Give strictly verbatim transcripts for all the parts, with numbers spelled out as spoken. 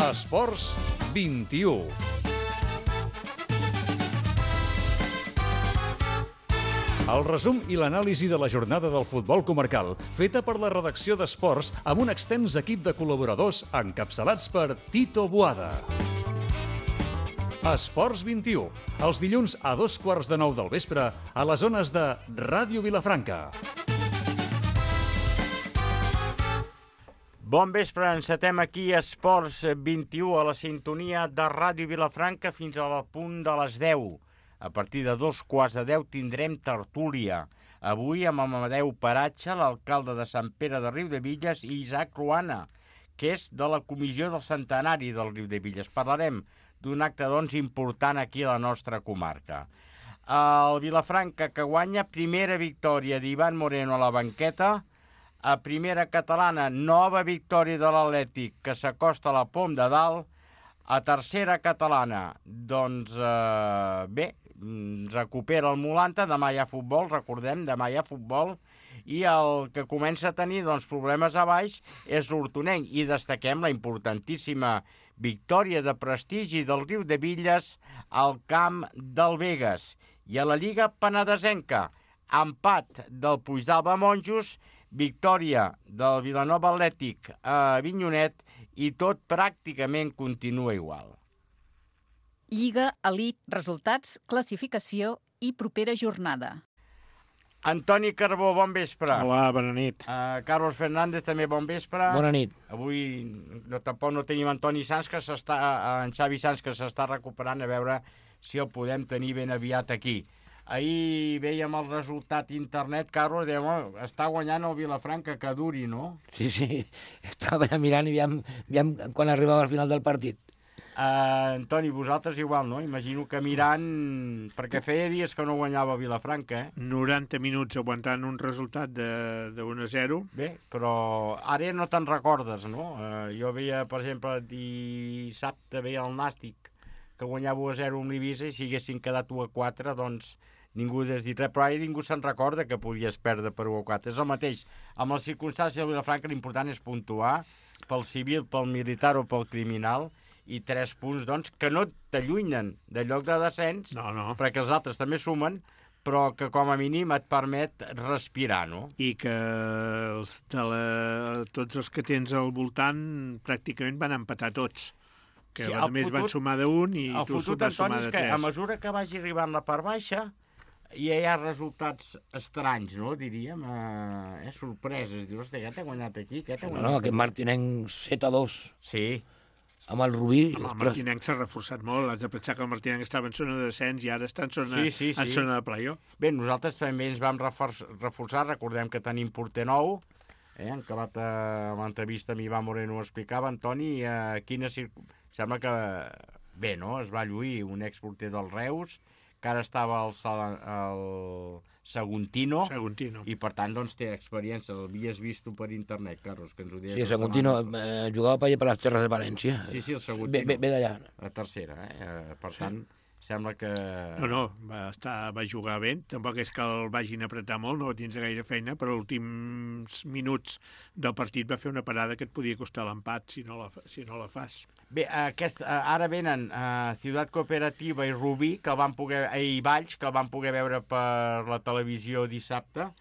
Esports vint-i-u. El resum i l'anàlisi de la jornada del futbol comarcal, feta per la redacció d'Esports amb un extens equip de col·laboradors encapçalats per Tito Boada. Esports vint-i-u, els dilluns a dos quarts de nou del vespre a les zones de Ràdio Vilafranca. Bon vespre, encetem aquí Esports vint-i-u a la sintonia de Ràdio Vilafranca fins al punt de les deu. A partir de dos quarts de deu tindrem tertúlia. Avui amb Amadeu Paratge, l'alcalde de Sant Pere de Riudebitlles, i Isaac Ruana, que és de la comissió del centenari del Riudebitlles. Parlarem d'un acte, doncs, important aquí a la nostra comarca. El Vilafranca, que guanya, primera victòria d'Ivan Moreno a la banqueta. A primera catalana, nova victòria de l'Atlètic, que s'acosta a la pom de dalt. A tercera catalana, doncs, eh, bé, recupera el Molanta, demà hi ha futbol, recordem, demà hi ha futbol, i el que comença a tenir doncs, problemes a baix és l'Hortonenc, i destaquem la importantíssima victòria de prestigi del Riudebitlles al camp del Begues. I a la Lliga Penedesenca, empat del Puigdàlber Monjos, victòria del Vilanova Atlètic a Avinyonet, i tot pràcticament continua igual. Lliga, elit, resultats, classificació i propera jornada. Antoni Carbó, bon vespre. Hola, bona nit. Uh, Carlos Fernández, també bon vespre. Bona nit. Avui no, tampoc no tenim Antoni Sanz, que s'està, uh, en Xavi Sanz, que s'està recuperant, a veure si el podem tenir ben aviat aquí. Ahir veiem el resultat internet, Carlos, dèiem, oh, està guanyant el Vilafranca, que duri, no? Sí, sí, estava mirant i aviam, aviam quan arribava al final del partit. Uh, Antoni, vosaltres igual, no? Imagino que mirant, perquè feia dies que no guanyava Vilafranca, eh? noranta minuts aguantant un resultat de, de un a zero. Bé, però ara no te'n recordes, no? Uh, jo veia, per exemple, dissabte veia el Nàstic, que guanyava u a zero amb l'Eivissa, i si haguessin quedat u a quatre, doncs ningú hagués dit res, però ara ningú se'n recorda que podies perdre per u a quatre. És el mateix. Amb les circumstàncies de Vilafranca l'important és puntuar pel civil, pel militar o pel criminal, i tres punts, doncs, que no t'allunyen de lloc de descens, no, no. perquè els altres també sumen, però que com a mínim et permet respirar, no? I que els de la, tots els que tens al voltant pràcticament van empatar tots. Que sí, a més van sumar d'un i tu vas sumar de tres. El fotut, Antoni, és que a mesura que vagi arribant la part baixa, ja hi ha resultats estranys, no? Diríem, eh, sorpreses. Dius, hosti, què t'ha guanyat aquí? Què t'ha guanyat no, no, aquí? aquest Martinenc set a dos. Sí. Amb el Rubí... Home, el Martinenc s'ha reforçat molt. Has de pensar que el Martinenc estava en zona de descens i ara està en zona, sí, sí, sí. en zona de playoff. Bé, nosaltres també ens vam reforçar. Recordem que tenim porter nou. Eh? En acabat a l'entrevista amb Ivan Moreno ho explicava, Antoni, eh, quina circ... Sembla que, bé, no? Es va lluir un exporter del Reus, que ara estava al, al Saguntino, Saguntino, i per tant doncs, té experiència. L'havies vist tu per internet, Carlos, que ens ho deies. Sí, el Saguntino eh, jugava per allà per les terres de València. Sí, sí, el Saguntino. Ve, ve d'allà. La tercera, eh? Per tant, sí. Sembla que... No, no, va, estar, va jugar bé. Tampoc és que el vagin a apretar molt, no va tindre gaire feina, però els últims minuts del partit va fer una parada que et podia costar l'empat si no la, si no la fas. Bé, aquest, ara venen uh, Ciutat Cooperativa i Rubí, que van poder, i Valls, que el van poder veure per la televisió dissabte,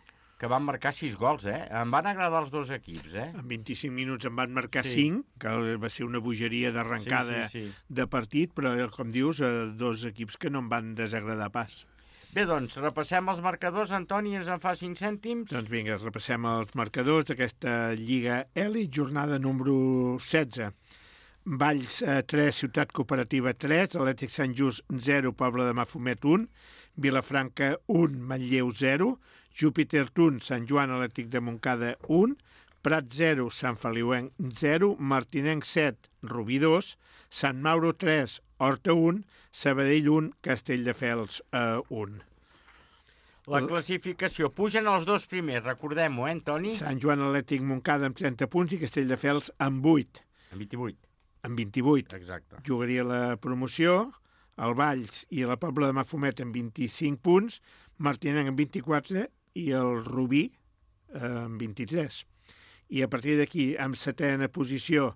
que van marcar sis gols, eh? Em van agradar els dos equips, eh? En vint-i-cinc minuts en van marcar sí. cinc, que va ser una bogeria d'arrencada sí, sí, sí. de partit, però, com dius, dos equips que no em van desagradar pas. Bé, doncs, repassem els marcadors. Antoni, ens en fa cinc cèntims? Doncs vinga, repassem els marcadors d'aquesta Lliga Elit, jornada número setze. Valls tres, Ciutat Cooperativa tres, Atlètic Sant Just zero, Pobla de Mafumet un, Vilafranca un, Manlleu zero, Júpiter un, Sant Joan Atlètic de Montcada un, Prat zero, Sant Feliuenc zero, Martinenc set, Rubí dos, Sant Mauro tres, Horta un, Sabadell un, Castelldefels un. La classificació. Pugen els dos primers, recordem-ho, eh, Antoni? Sant Joan Atlètic Montcada amb trenta punts i Castelldefels amb vuit. Amb vint-i-vuit. Amb vint-i-vuit. Exacte. Jugaria la promoció, el Valls i la Pobla de Mafumet amb vint-i-cinc punts, Martinenc amb vint-i-quatre i el Rubí eh, amb vint-i-tres. I a partir d'aquí, amb setena posició,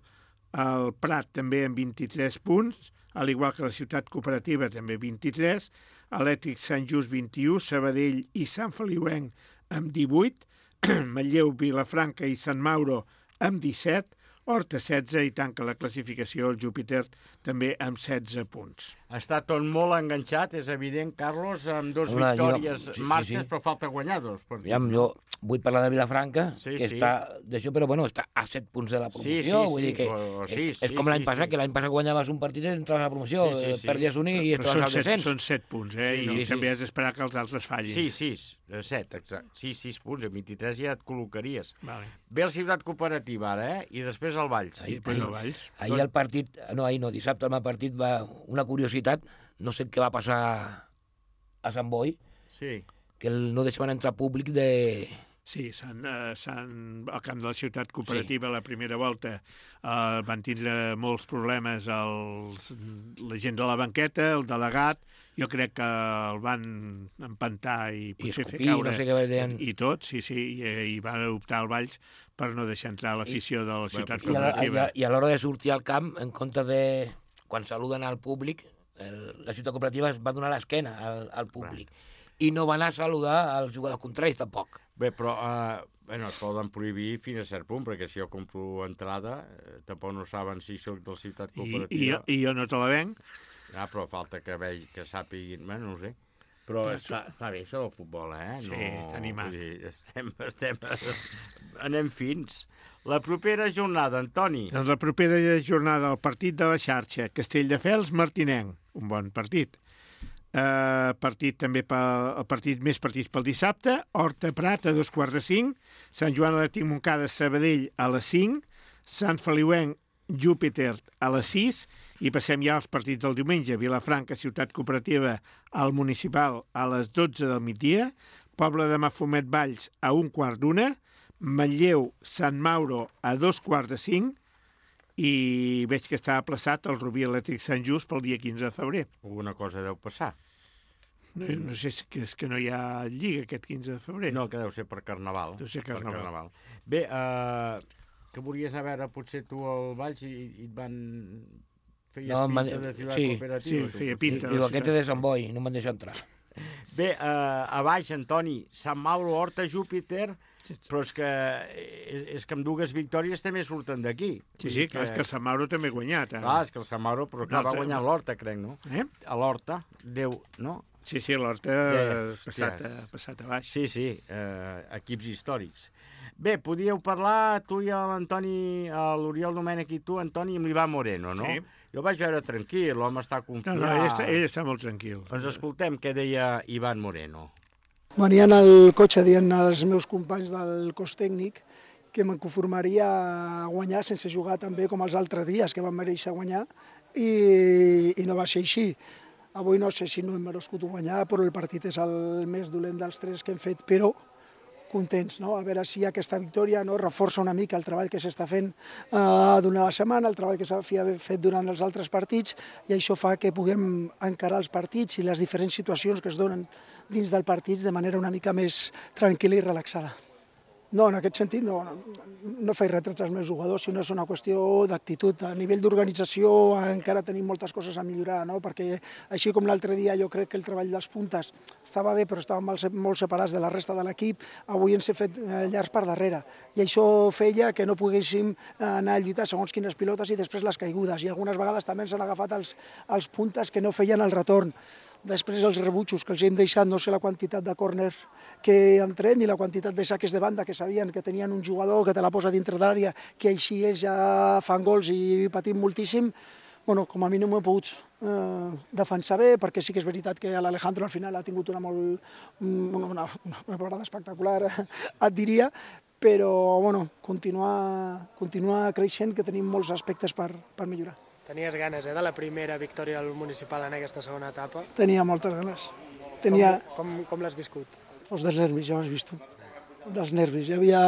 el Prat també amb vint-i-tres punts, al igual que la Ciutat Cooperativa també vint-i-tres, Atlètic Sant Just vint-i-u, Sabadell i Sant Feliuenc amb divuit, Manlleu, Vilafranca i Sant Mauro amb disset, Horta setze i tanca la classificació el Júpiter també amb setze punts. Està tot molt enganxat, és evident, Carlos, amb dos Una, victòries jo- sí, sí, marxes, sí. però falta guanyar dos. Per Ja, jo vull parlar de Vilafranca, Sí, que sí. està d'això, però bueno, està a set punts de la promoció. Sí, sí, vull sí, dir que o- o sí, és, és sí, com l'any sí, passat, sí. que l'any passat guanyaves un partit i entraves a la promoció, Sí, sí, eh, sí. perdies un i Però estaves són al set, descens. són set punts, eh? Sí, I sí, sí. també has d'esperar que els altres fallin. Sí, sis, eh, set, exacte. Sí, sis punts, a vint-i-tres ja et col·locaries. Vale. Ve el Ciutat Cooperativa ara, eh? I després el Valls. I després el Valls. Ahir el partit, no, ahir no, dissabte el partit va, una curiositat, no sé què va passar a Sant Boi, Sí. que el, no deixaven entrar públic de... Sí, s'han, eh, s'han, al camp de la Ciutat Cooperativa, sí. La primera volta, eh, van tindre molts problemes els, la gent de la banqueta, el delegat, jo crec que el van empantar i potser escopir, fer caure no sé què deien. i tot, sí, sí, i, i van optar al Valls per no deixar entrar l'afició de la Ciutat I a, la- Cooperativa. i a l'hora de sortir al camp, en comptes de... Quan saluden al públic, el, la Ciutat Cooperativa es va donar l'esquena al, al públic. I no va anar a saludar als jugadors contraris, tampoc. Bé, però eh, bueno, et poden prohibir fins a cert punt, perquè si jo compro entrada, eh, tampoc no saben si soc de la Ciutat I, i, Cooperativa. I jo no te la venc. Ah, però falta que vegi, que sàpiguin, bueno, no ho sé. Però està, està bé això del futbol, eh? Sí, està animat. Vull dir, estem, estem, anem fins. La propera jornada, Antoni. Doncs la propera jornada, el partit de la xarxa, Castelldefels, Martinenc, un bon partit. Uh, partit també pel, el partit més partits pel dissabte, Horta Prat a dos quarts de cinc, Sant Joan Atlètic Montcada Sabadell a les cinc, Sant Feliuenc Júpiter a les sis i passem ja als partits del diumenge, Vilafranca Ciutat Cooperativa al Municipal a les dotze del migdia, Pobla de Mafumet Valls a un quart d'una, Manlleu Sant Mauro a dos quarts de cinc i veig que està aplaçat el Rubí Atlètic Sant Just pel dia quinze de febrer. Alguna cosa deu passar. No, no sé si és que no hi ha lliga aquest quinze de febrer. No, que deu ser per Carnaval. Deu ser Per Carnaval. carnaval. Bé, eh, que volies anar a veure potser tu al Valls i, i et van... Feies No, pinta man- de Ciutat sí, Cooperativa. sí, tu, feia potser. pinta. Diu, la aquest ciutat. és de Sant Boi, no me'n deixa entrar. Bé, eh, a baix, Antoni, Sant Mauro, Horta, Júpiter, però és que, és, és que amb dues victòries també surten d'aquí. Sí, sí, clar, és que el Sant Mauro també ha guanyat. Eh? Clar, és que el Sant Mauro, però clar, No, va guanyar l'Horta, crec, no? Eh? A l'Horta, Déu, no? Sí, sí, l'Horta Ja, ha passat, ja. a, passat a baix. Sí, sí, eh, equips històrics. Bé, podíeu parlar, tu i l'Antoni, l'Oriol Domènech i tu, Antoni, amb l'Ivan Moreno, no? Sí. Jo el vaig veure tranquil, l'home està No, confiat. no, ell està, ell està molt tranquil. Doncs escoltem què deia Ivan Moreno. Venia en el cotxe dient als meus companys del cos tècnic que me'n conformaria a guanyar sense jugar tan bé com els altres dies, que van mereixer guanyar, i, i no va ser així. Avui no sé si no hem merescut guanyar, però el partit és el més dolent dels tres que hem fet, però contents, no? A veure si aquesta victòria no reforça una mica el treball que s'està fent eh, durant la setmana, el treball que s'ha fet durant els altres partits, i això fa que puguem encarar els partits i les diferents situacions que es donen dins del partit de manera una mica més tranquil·la i relaxada. No, en aquest sentit no, no, no faig retrets als meus jugadors, sinó és una qüestió d'actitud. A nivell d'organització encara tenim moltes coses a millorar, no? Perquè així com l'altre dia jo crec que el treball dels puntes estava bé, però estàvem molt separats de la resta de l'equip, avui ens he fet llargs per darrere. I això feia que no poguéssim anar a lluitar segons quines pilotes i després les caigudes. I algunes vegades també ens han agafat els, els puntes que no feien el retorn. Després els rebutjos que els hem deixat, no sé la quantitat de córners que han tret ni la quantitat de saques de banda que sabien que tenien un jugador que te la posa dintre d'àrea, que així és, ja fan gols i patim moltíssim. Bueno, com a mínim ho he pogut eh, defensar bé, perquè sí que és veritat que l'Alejandro al final ha tingut una, molt, una, una, una parada espectacular, et diria, però bueno, continuar, continuar creixent, que tenim molts aspectes per, per millorar. Tenies ganes, eh, de la primera victòria del municipal en aquesta segona etapa. Tenia moltes ganes. Tenia... Com, com, com l'has viscut? Pues dels nervis, ja ho has vist tu. Dels nervis. Hi havia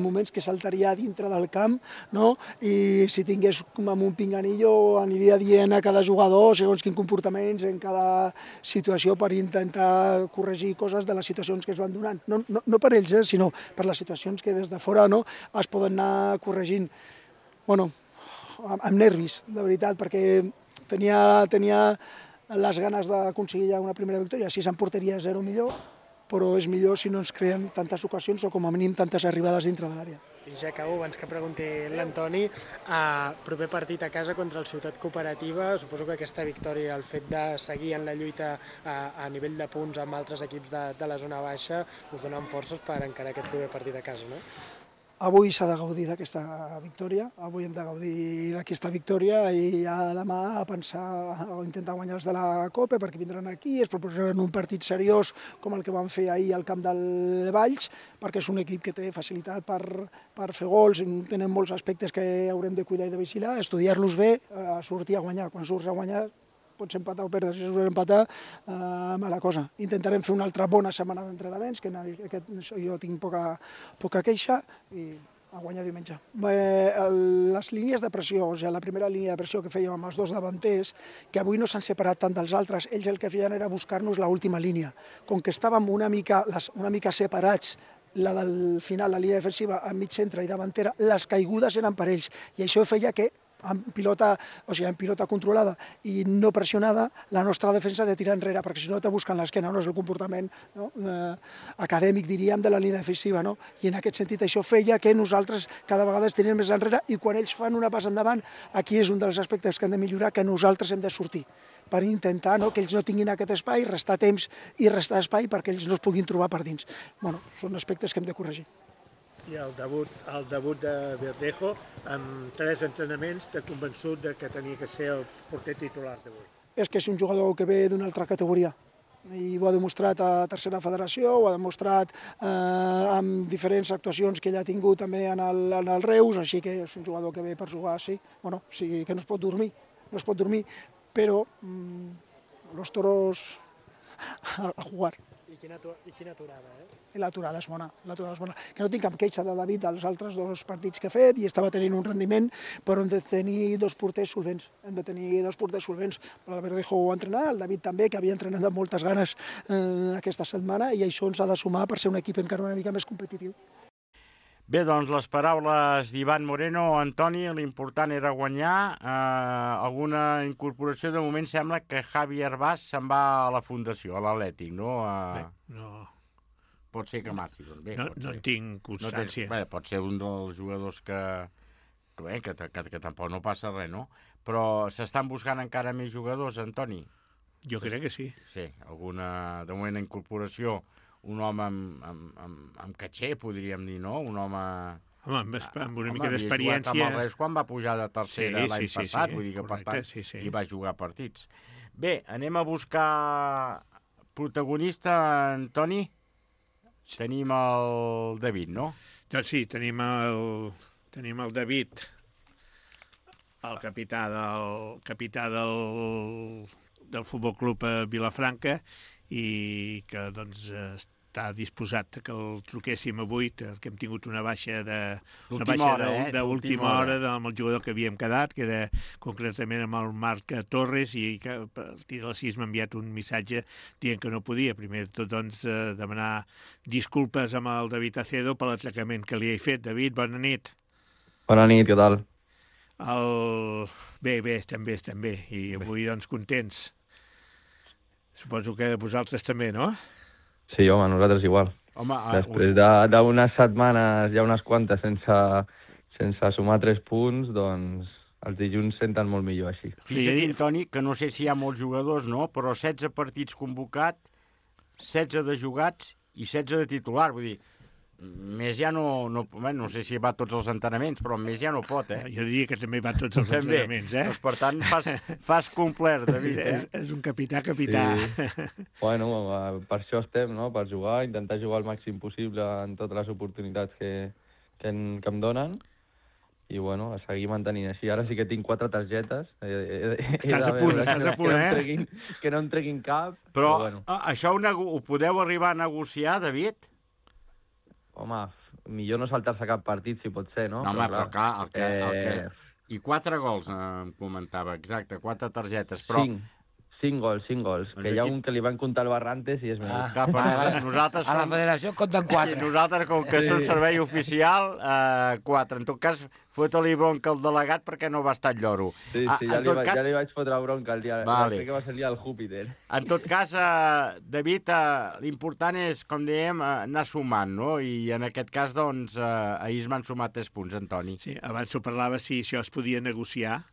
moments que saltaria dintre del camp, no? I si tingués com amb un pinganillo aniria dient a cada jugador segons quins comportaments en cada situació per intentar corregir coses de les situacions que es van donant. No, no, no per ells, eh, sinó per les situacions que des de fora no, es poden anar corregint. Bueno, amb, amb nervis, de veritat, perquè tenia, tenia les ganes d'aconseguir ja una primera victòria. Si se'n portaria zero millor, però és millor si no ens creen tantes ocasions o com a mínim tantes arribades dintre de l'àrea. I ja acabo, abans que pregunti l'Antoni, eh, proper partit a casa contra el Ciutat Cooperativa, suposo que aquesta victòria, el fet de seguir en la lluita a, a nivell de punts amb altres equips de, de la zona baixa, us donen forces per encarar aquest proper partit a casa, no? Avui s'ha de gaudir d'aquesta victòria, avui hem de gaudir d'aquesta victòria i ja demà a pensar o intentar guanyar els de la Copa perquè vindran aquí, es proposaran un partit seriós com el que van fer ahir al camp del Valls, perquè és un equip que té facilitat per, per fer gols, tenen molts aspectes que haurem de cuidar i de vigilar, estudiar-los bé, a sortir a guanyar, quan surts a guanyar pots empatar o perdre, si surts a empatar, eh, mala cosa. Intentarem fer una altra bona setmana d'entrenaments, que aquest, jo tinc poca, poca queixa, i a guanyar diumenge. Eh, el, les línies de pressió, o sigui, la primera línia de pressió que fèiem amb els dos davanters, que avui no s'han separat tant dels altres, ells el que feien era buscar-nos l'última línia. Com que estàvem una mica, les, una mica separats, la del final, la línia defensiva, en mig centre i davantera, les caigudes eren per ells, i això feia que amb pilota, o sigui, amb pilota controlada i no pressionada, la nostra defensa de tirar enrere, perquè si no te busquen l'esquena, no? És el comportament, no? eh, acadèmic, diríem, de la línia defensiva, no? I en aquest sentit això feia que nosaltres cada vegada es tirem més enrere i quan ells fan una passa endavant, aquí és un dels aspectes que hem de millorar, que nosaltres hem de sortir per intentar, no?, que ells no tinguin aquest espai, restar temps i restar espai perquè ells no es puguin trobar per dins. Bueno, són aspectes que hem de corregir. I el debut, el debut de Verdejo, amb tres entrenaments, t'ha convençut de que tenia que ser el porter titular d'avui? És que és un jugador que ve d'una altra categoria i ho ha demostrat a Tercera Federació, ho ha demostrat eh, amb diferents actuacions que ell ha tingut també en el, en el Reus, així que és un jugador que ve per jugar, sí, bueno, sí que no es pot dormir, no es pot dormir, però mmm, los toros a, a jugar. I quina, i quina aturada, eh? I l'aturada és bona, l'aturada és bona. Que no tinc cap queixa de David als altres dos partits que he fet i estava tenint un rendiment, però hem de tenir dos porters solvents, hem de tenir dos porters solvents. El Verdejo ho va entrenar, el David també, que havia entrenat amb moltes ganes eh, aquesta setmana, i això ens ha de sumar per ser un equip encara una mica més competitiu. Bé, doncs les paraules d'Ivan Moreno. Antoni, l'important era guanyar. Eh, alguna incorporació? De moment sembla que Javi Herbàs se'n va a la Fundació, a l'Atlètic, no? A... Bé, no... Pot ser que marxi, doncs bé. No, pot no ser. en tinc constància. No tens, bé, pot ser un dels jugadors que, que, bé, que, que, que tampoc no passa res, no? Però s'estan buscant encara més jugadors, Antoni? Jo crec que sí. Sí, alguna, de moment, incorporació, un home amb, amb, amb, amb caché, podríem dir, no? Un home... Home, amb, amb una home, mica d'experiència... Home, havia jugat amb el Reus quan va pujar de tercera sí, l'any sí, sí, passat, sí, vull dir que, correcte, per tant, sí, sí. hi va jugar partits. Bé, anem a buscar protagonista, Antoni? Tenim el David, no? Doncs sí, tenim el, tenim el David, el capità del, capità del, del Futbol Club Vilafranca, i que doncs està disposat que el truquéssim avui, que hem tingut una baixa de una baixa hora, eh? d'última hora amb el jugador que havíem quedat, que era concretament amb el Marc Torres, i que a partir de les sis m'ha enviat un missatge dient que no podia. Primer de tot, doncs, eh, demanar disculpes amb el David Acedo per l'atracament que li he fet. David, bona nit. Bona nit, què tal? El... Bé, bé, estem bé, estem bé. I avui, doncs, contents. Suposo que vosaltres també, no? Sí, home, nosaltres igual. Home, Després d'unes setmanes, ja unes quantes, sense, sense sumar tres punts, doncs els dilluns senten molt millor així. Fixa't, Antoni, que no sé si hi ha molts jugadors, no? Però setze partits convocats, setze de jugats i setze de titular. Vull dir, més ja no... No, no sé si va a tots els entrenaments, però més ja no pot, eh? Jo diria que també va a tots els també. entrenaments, eh? Doncs, per tant, fas, fas complert, David, eh? És, és un capità, capità. Sí. Bueno, per això estem, no? Per jugar, intentar jugar el màxim possible en totes les oportunitats que, que, en, que em donen. I, bueno, a seguir mantenint així. Ara sí que tinc quatre targetes. Estàs a punt, estàs a punt, eh? Que no em treguin, que no em treguin cap. Però, però bueno. això ho, ho podeu arribar a negociar, David? Home, millor no saltar-se cap partit, si pot ser, no? No, home, però clar, el que... El que... Eh... I quatre gols, em comentava, exacte, quatre targetes, però... Cinc. Cinc gols, cinc gols. Doncs Que hi ha aquí- un que li van comptar al Barrantes i és meu. Ah, Clar, però a, nosaltres a la com- federació compten Sí, quatre. nosaltres, com que Sí. som servei oficial, eh, quatre. En tot cas, fot-li bronca al delegat perquè no va estar el lloro. Sí, Ah, sí, en ja, li, tot va, cas- ja li vaig fotre bronca el dia... Vale. Crec que va ser el dia del Júpiter. En tot cas, eh, David, eh, l'important és, com dèiem, eh, anar sumant, no? I en aquest cas, doncs, eh, ahir es van sumar tres punts, Antoni. Sí, abans ho parlava si això es podia negociar.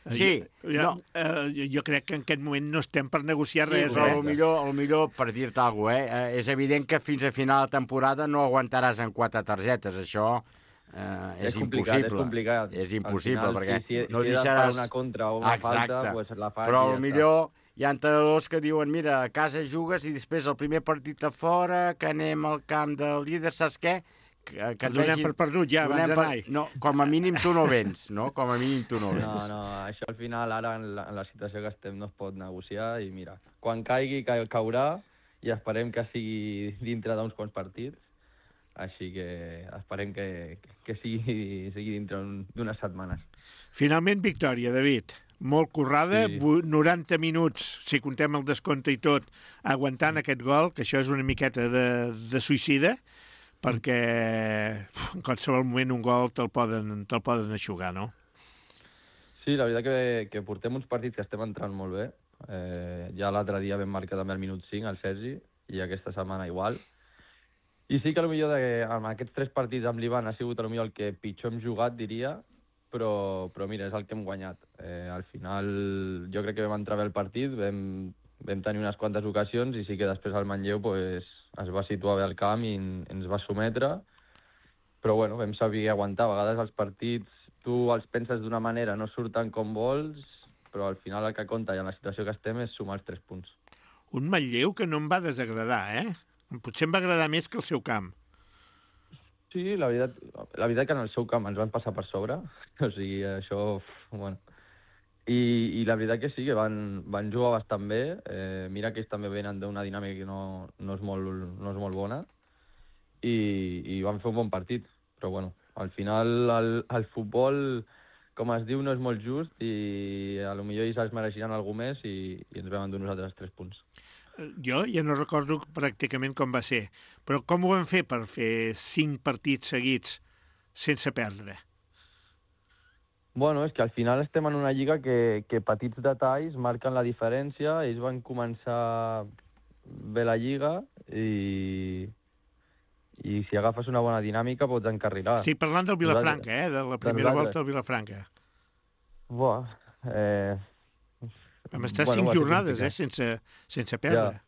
Eh, Sí, jo, no. eh, jo, jo crec que en aquest moment no estem per negociar Sí, res, però eh? el millor, el millor per dir-te alguna cosa, eh? És evident que fins a final de temporada no aguantaràs en quatre targetes. Això eh, és, És complicat, impossible. és complicat. És Al impossible, final, perquè si, si, no si he de deixaràs... fer una contra o una Exacte. falta, pues la faig Però i ja el millor hi ha entrenadors que diuen, mira, a casa jugues i després el primer partit a fora, que anem al camp del líder, saps què? Que, que El donem per perdut ja, abans donem per- d'anar-hi. No, com a mínim tu no vens, no? Com a mínim tu no vens. No, no, això al final, ara, en la, en la situació que estem, no es pot negociar i mira, quan caigui, ca caurà i esperem que sigui dintre d'uns quants partits, així que esperem que, que sigui, sigui dintre d'unes setmanes. Finalment, victòria, David. Molt currada, Sí. sí. noranta minuts, si contem el descompte i tot, aguantant aquest gol, que això és una miqueta de, de suïcida, perquè uf, en qualsevol moment un gol te'l poden, te poden aixugar, no? Sí, la veritat que, que portem uns partits que estem entrant molt bé. Eh, ja l'altre dia vam marcar també al minut cinc, al Sergi, i aquesta setmana igual. I sí que potser de, amb aquests tres partits amb l'Ivan ha sigut potser el que pitjor hem jugat, diria, però, però mira, és el que hem guanyat. Eh, al final jo crec que vam entrar bé el partit, vam, vam tenir unes quantes ocasions i sí que després el Manlleu pues, es va situar bé al camp i en, ens va sometre, però bueno, vam saber aguantar. A vegades els partits tu els penses d'una manera, no surten com vols, però al final el que compta i en la situació que estem és sumar els tres punts. Un Manlleu que no em va desagradar, eh? Potser em va agradar més que el seu camp. Sí, la veritat, la veritat que en el seu camp ens van passar per sobre, o sigui, això, bueno... I, i la veritat que sí, que van, van jugar bastant bé. Eh, mira que ells també venen d'una dinàmica que no, no, és molt, no és molt bona i, i van fer un bon partit. Però bueno, al final el, el futbol, com es diu, no és molt just i a lo millor ells es mereixeran alguna més i, i ens vam endur nosaltres tres punts. Jo ja no recordo pràcticament com va ser, però com ho vam fer per fer cinc partits seguits sense perdre? Bueno, és que al final estem en una lliga que, que petits detalls marquen la diferència. Ells van començar bé la lliga i, i si agafes una bona dinàmica pots encarrilar. Sí, parlant del Vilafranca, eh? De la primera nosaltres. volta al Vilafranca. Buah, eh... Vam estar Bueno, cinc va ser jornades, eh? complicat. Sense, sense perdre.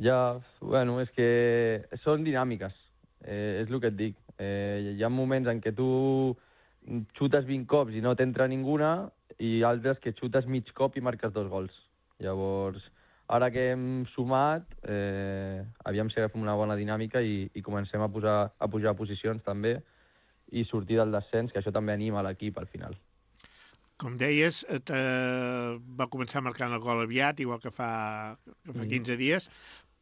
Ja, bueno, és que són dinàmiques, eh, és el que et dic. Eh, hi ha moments en què tu xutes vint cops i no t'entra ninguna i altres que xutes mig cop i marques dos gols. Llavors, ara que hem sumat, eh, aviam si agafem una bona dinàmica i, i comencem a, posar, a pujar posicions també i sortir del descens, que això també anima l'equip al final. Com deies, eh, va començar marcant el gol aviat, igual que fa, que fa quinze dies,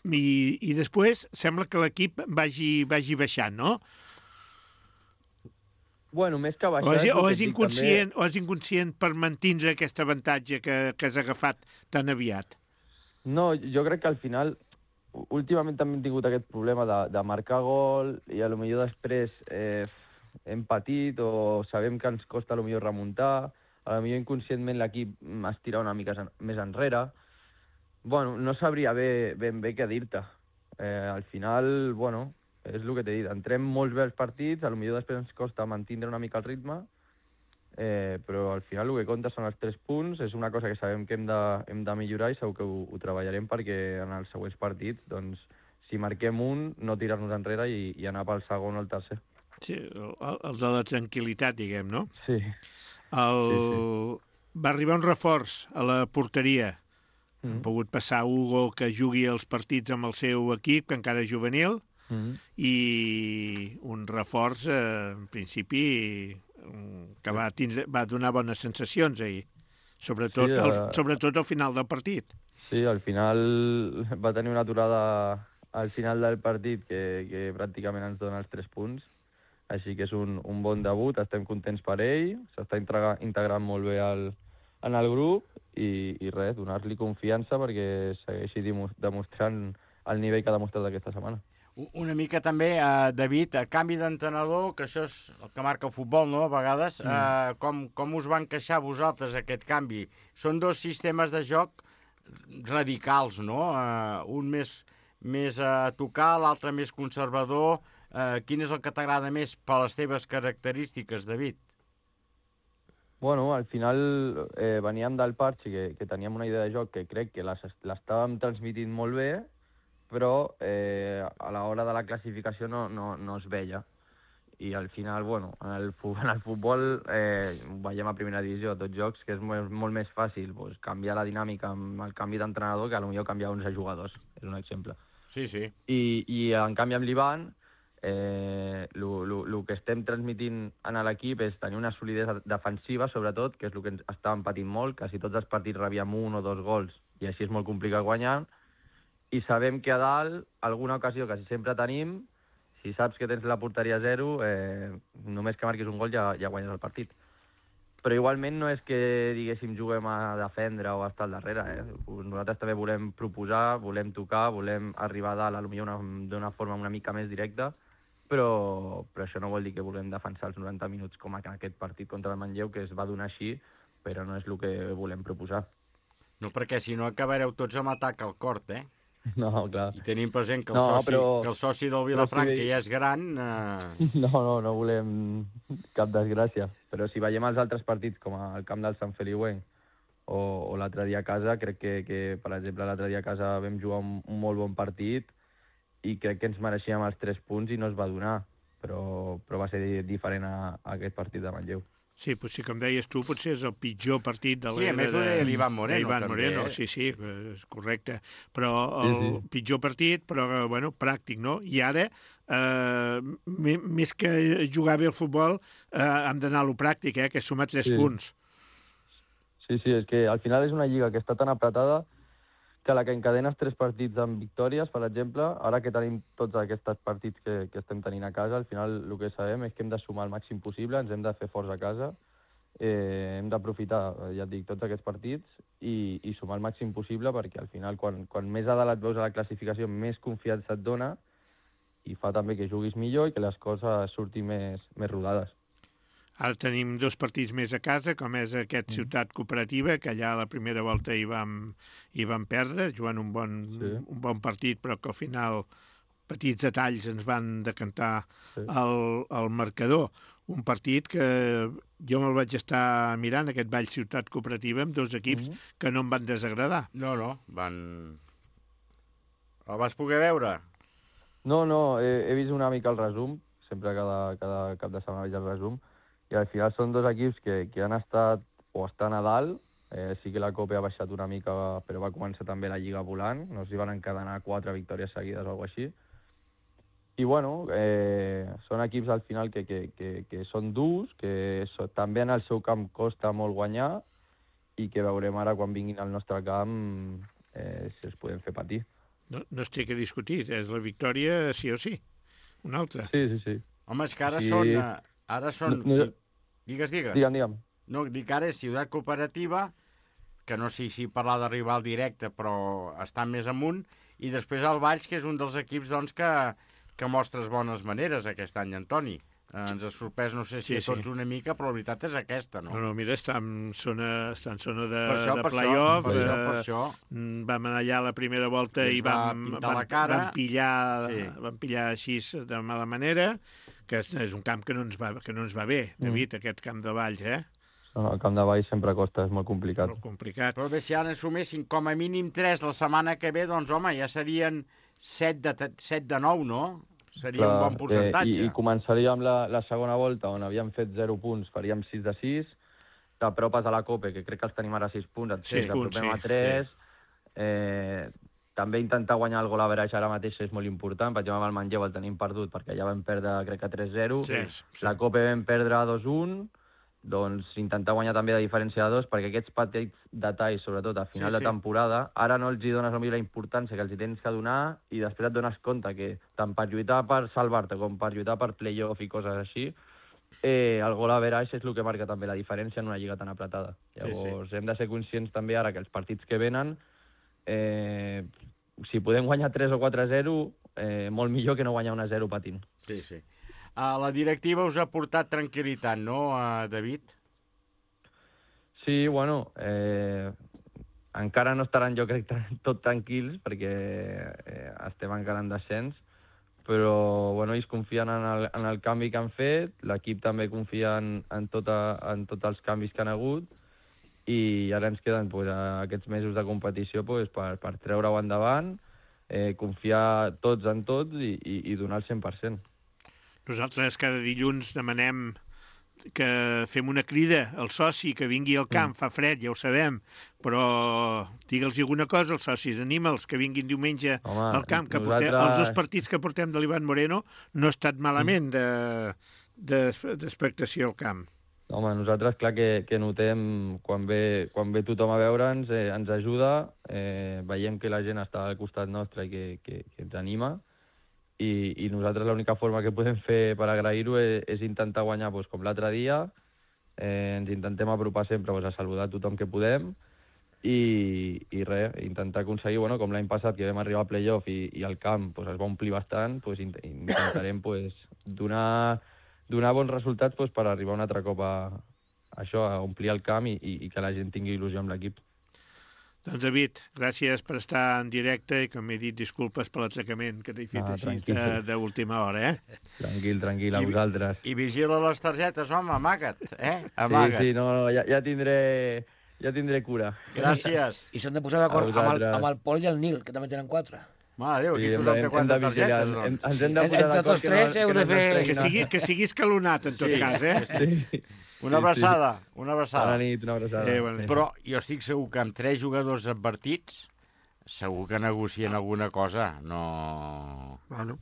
i, i després sembla que l'equip vagi, vagi baixant, no? Bueno, més que baixar... O és, el o que és, et dic, inconscient, o és inconscient per mantenir aquest avantatge que, que has agafat tan aviat? No, jo crec que al final, últimament també hem tingut aquest problema de, de marcar gol i a lo millor després eh, hem patit o sabem que ens costa a lo millor remuntar, a lo millor inconscientment l'equip es tira una mica més enrere. Bueno, no sabria bé, ben bé què dir-te. Eh, al final, bueno, és el que t'he dit, entrem molts bé els partits, a lo millor després ens costa mantenir una mica el ritme, eh, però al final el que compta són els tres punts, és una cosa que sabem que hem de, hem de millorar i segur que ho, ho treballarem perquè en els següents partits, doncs, si marquem un, no tirar-nos enrere i, i anar pel segon o el tercer. Sí, el, el de la tranquil·litat, diguem, no? Sí. El... Sí, sí. Va arribar un reforç a la porteria. Mm. Han pogut passar Hugo, que jugui els partits amb el seu equip, que encara és juvenil, Mm -hmm. i un reforç, eh, en principi, que va, tindre, va donar bones sensacions ahir, sobretot, Sí, al, eh, sobretot al final del partit. Sí, al final va tenir una aturada al final del partit que, que pràcticament ens dona els tres punts, així que és un, un bon debut, estem contents per ell, s'està integrant molt bé al, en el grup i, i res, donar-li confiança perquè segueixi demostrant el nivell que ha demostrat aquesta setmana. Una mica també, eh, David, a canvi d'entrenador, que això és el que marca el futbol, no?, a vegades, mm. eh, com, com us va encaixar vosaltres aquest canvi? Són dos sistemes de joc radicals, no? Eh, un més, més a tocar, l'altre més conservador. Eh, quin és el que t'agrada més per les teves característiques, David? Bueno, al final eh, veníem del Parchi, que, que teníem una idea de joc que crec que l'estàvem transmitint molt bé, però eh, a l'hora de la classificació no, no, no es veia. I al final, bueno, en el, en el futbol eh, veiem a primera divisió, a tots jocs, que és molt, molt més fàcil pues, canviar la dinàmica amb el canvi d'entrenador que potser canviar onze jugadors, és un exemple. Sí, sí. I, i en canvi amb l'Ivan, el eh, que estem transmitint en l'equip és tenir una solidesa defensiva, sobretot, que és el que ens estàvem patint molt, quasi tots els partits rebíem un o dos gols, i així és molt complicat guanyar, i sabem que a dalt, alguna ocasió que sempre tenim, si saps que tens la porteria zero, eh, només que marquis un gol ja, ja guanyes el partit. Però igualment no és que, diguéssim, juguem a defendre o a estar al darrere. Eh? Nosaltres també volem proposar, volem tocar, volem arribar a dalt, potser d'una forma una mica més directa, però, però això no vol dir que volem defensar els noranta minuts com en aquest partit contra el Manlleu, que es va donar així, però no és el que volem proposar. No, perquè si no acabareu tots amb atac al cort, eh? No, clar. I tenim present que el, no, soci, però... que el soci del Vilafranca si... ja és gran... Eh... No, no, no volem cap desgràcia. Però si veiem els altres partits, com el camp del Sant Feliuenc o, o l'altre dia a casa, crec que, que per exemple, l'altre dia a casa vam jugar un, un molt bon partit i crec que ens mereixíem els tres punts i no es va donar. Però, però va ser diferent a, a aquest partit de Manlleu. Sí, potser, com deies tu, potser és el pitjor partit de l'era... Sí, a més ho deia l'Ivan Moreno, Ivan també. Moreno, Eh? sí, sí, és correcte. Però el sí, sí. pitjor partit, però, bueno, pràctic, no? I ara, eh, més que jugar bé al futbol, eh, hem d'anar a lo pràctic, eh, que és sumar tres sí. punts. Sí, sí, és que al final és una lliga que està tan apretada que la que encadenes tres partits amb victòries, per exemple, ara que tenim tots aquests partits que, que estem tenint a casa, al final el que sabem és que hem de sumar el màxim possible, ens hem de fer forts a casa, eh, hem d'aprofitar, ja et dic, tots aquests partits i, i sumar el màxim possible perquè al final, quan, quan més a dalt et veus a la classificació, més confiança et dona i fa també que juguis millor i que les coses surtin més, més rodades. Ara tenim dos partits més a casa, com és aquest Ciutat Cooperativa, que allà a la primera volta hi vam, hi vam perdre, jugant un bon, sí. un bon partit, però que al final petits detalls ens van decantar sí. el, el marcador. Un partit que jo me'l vaig estar mirant, aquest Vall Ciutat Cooperativa, amb dos equips mm-hmm. que no em van desagradar. No, no, van... El vas poder veure? No, no, he, he vist una mica el resum, sempre cada, cada cap de setmana veig el resum, i al final són dos equips que, que han estat o estan a dalt, eh, sí que la Copa ha baixat una mica, però va començar també la Lliga volant, no s'hi van encadenar quatre victòries seguides o alguna així. I bueno, eh, són equips al final que, que, que, que són durs, que so, també en el seu camp costa molt guanyar i que veurem ara quan vinguin al nostre camp eh, si els podem fer patir. No, no es té que discutir, és la victòria sí o sí, una altra. Sí, sí, sí. Home, és que ara I... són... Ara són... No, no, sí. Digues, digues. Digue'm, digue'm. No, dic ara és Ciutat Cooperativa, que no sé si parlar de rival directe, però està més amunt, i després el Valls, que és un dels equips doncs, que, que mostres bones maneres aquest any, Antoni. Eh, ens ha sorprès, no sé si sí, a tots sí. una mica, però la veritat és aquesta, no? No, no, mira, està en zona, està en zona de, per això, de per play-off. Per això, eh, per això. Vam anar allà a la primera volta i, I vam, pintar vam, la cara. vam, pillar, Sí. vam pillar així de mala manera, que és, és un camp que no ens va, que no ens va bé, David, mm. aquest camp de Valls, eh? No, el camp de Valls sempre costa, és molt complicat. Molt complicat. Però bé, si ara en sumessin com a mínim tres la setmana que ve, doncs home, ja serien set de, set de nou, no? Seria Clar, un bon percentatge. Eh, i, I començaríem la, la segona volta, on havíem fet zero punts, faríem sis de sis, t'apropes a la Copa, que crec que els tenim ara sis punts, et sis punts, t'apropem sí, a tres, sí. eh, també intentar guanyar el gol average ara mateix és molt important, per exemple, amb el Manlleu el tenim perdut, perquè ja vam perdre, crec que tres zero, sí, sí. la Copa vam perdre dos un, doncs intentar guanyar també de diferència de dos, perquè aquests petits detalls, sobretot a final sí, de temporada, sí. ara no els hi dones la importància que els hi tens que donar i després et dones compte que tant per lluitar per salvar-te com per lluitar per play-off i coses així, eh, el gol average és el que marca també la diferència en una lliga tan apretada. Llavors, sí, sí. hem de ser conscients també ara que els partits que venen, eh, si podem guanyar tres o quatre a zero, eh, molt millor que no guanyar un a zero patint. Sí, sí. Uh, la directiva us ha portat tranquil·litat, no, uh, David? Sí, bueno, eh, encara no estaran, jo crec, tot tranquils, perquè eh, estem encara en descens, però bueno, ells confien en el, en el canvi que han fet, l'equip també confia en, en, tota, en tots els canvis que han hagut, i ara ens queden pues, aquests mesos de competició pues, per, per treure-ho endavant, eh, confiar tots en tots i, i, i donar el cent per cent. Nosaltres cada dilluns demanem que fem una crida al soci que vingui al camp, mm. fa fred, ja ho sabem, però digue'ls alguna cosa als socis, anima'ls que vinguin diumenge Home, al camp, que nosaltres... portem, els dos partits que portem de l'Ivan Moreno no ha estat malament d'expectació de, de, al camp. Home, nosaltres clar que, que notem quan ve, quan ve tothom a veure'ns, eh, ens ajuda, eh, veiem que la gent està al costat nostre i que, que, que ens anima, I, i nosaltres l'única forma que podem fer per agrair-ho és, és intentar guanyar doncs, com l'altre dia, eh, ens intentem apropar sempre doncs, a saludar tothom que podem i, i res, intentar aconseguir, bueno, com l'any passat que vam arribar a playoff i, i el camp doncs, es va omplir bastant, doncs, intentarem doncs, donar, donar bons resultats doncs, per arribar un altre cop a, a això, a omplir el camp i, i, i que la gent tingui il·lusió amb l'equip. Doncs, David, gràcies per estar en directe i, com he dit, disculpes per l'atracament que t'he fet ah, així d'última hora, eh? Tranquil, tranquil, a I, vosaltres. I vigila les targetes, home, amaga't, eh? Amaga't. Sí, sí, no, no ja, ja, tindré, ja tindré cura. Gràcies. I s'han de posar d'acord amb, el, amb el Pol i el Nil, que també tenen quatre. Mare Déu, aquí sí, tothom té quatre targetes, doncs. Hem, ens hem de posar d'acord. Entre tots tres heu de fer... Que sigui, que sigui escalonat, en tot sí, cas, eh? Sí. Una abraçada, una abraçada. Bona nit, una abraçada. Eh, bona nit. Però jo estic segur que amb tres jugadors advertits segur que negocien alguna cosa. No... Bueno.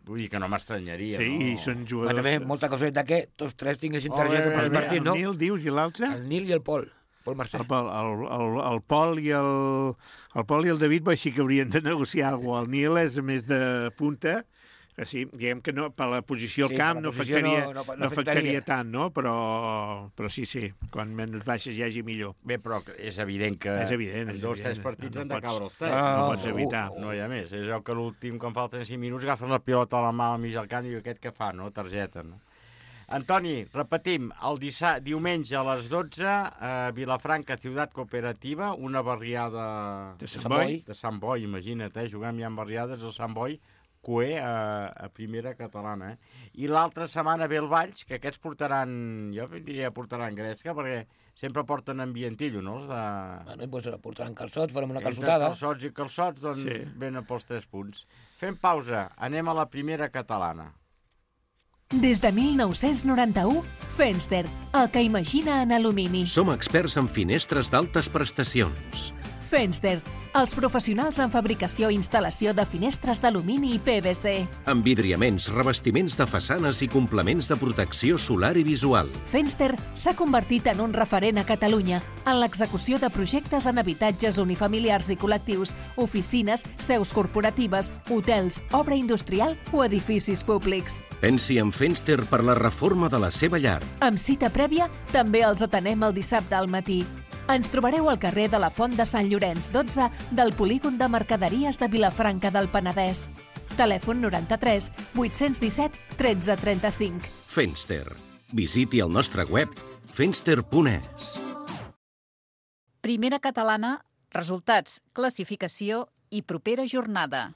Vull dir que no m'estranyaria, sí, no? Sí, i són jugadors... Però també molta cosa de que tots tres tinguessin targeta per partit, no? El Nil, dius, i l'altre? El Nil i el Pol. Pol Mercè. El, el, el, el Pol i el, el Pol i el David sí que haurien de negociar alguna cosa. El Nil és més de punta, que sí, diguem que no, per la posició al sí, camp no afectaria, no, no, no, no afectaria tant, no? Però, però sí, sí, quan menys baixes hi hagi millor. Bé, però és evident que és evident, en dos o tres partits no, no han de pots, caure els tres. No, no pots evitar. Uf, no hi ha més. És el que l'últim, quan falten cinc minuts, agafen la pilota a la mà al mig del camp i aquest que fa, no? Targeta, no? Antoni, repetim, el dissa... diumenge a les dotze, a Vilafranca, Ciutat Cooperativa, una barriada de Sant Boi, de Sant Boi, imagina't, eh? Juguem ja en barriades al Sant Boi, Cué a, a primera catalana. Eh? I l'altra setmana ve el Valls, que aquests portaran, jo diria portaran gresca, perquè sempre porten ambientillo, no? Els de... Bueno, doncs portaran calçots, farem una calçotada. Entre calçots i calçots, doncs sí. Venen pels tres punts. Fem pausa, anem a la primera catalana. Des de mil nou-cents noranta-u, Fenster, el que imagina en alumini. Som experts en finestres d'altes prestacions. Fenster, els professionals en fabricació i instal·lació de finestres d'alumini i P V C. Envidriaments, revestiments de façanes i complements de protecció solar i visual. Fenster s'ha convertit en un referent a Catalunya en l'execució de projectes en habitatges unifamiliars i col·lectius, oficines, seus corporatives, hotels, obra industrial o edificis públics. Pensi en Fenster per la reforma de la seva llar. Amb cita prèvia, també els atenem el dissabte al matí. Ens trobareu al carrer de la Font de Sant Llorenç dotze del Polígon de Mercaderies de Vilafranca del Penedès. Telèfon noranta-tres vuit-cents disset tretze trenta-cinc. Fenster. Visiti el nostre web fenster punt es. Primera catalana, resultats, classificació i propera jornada.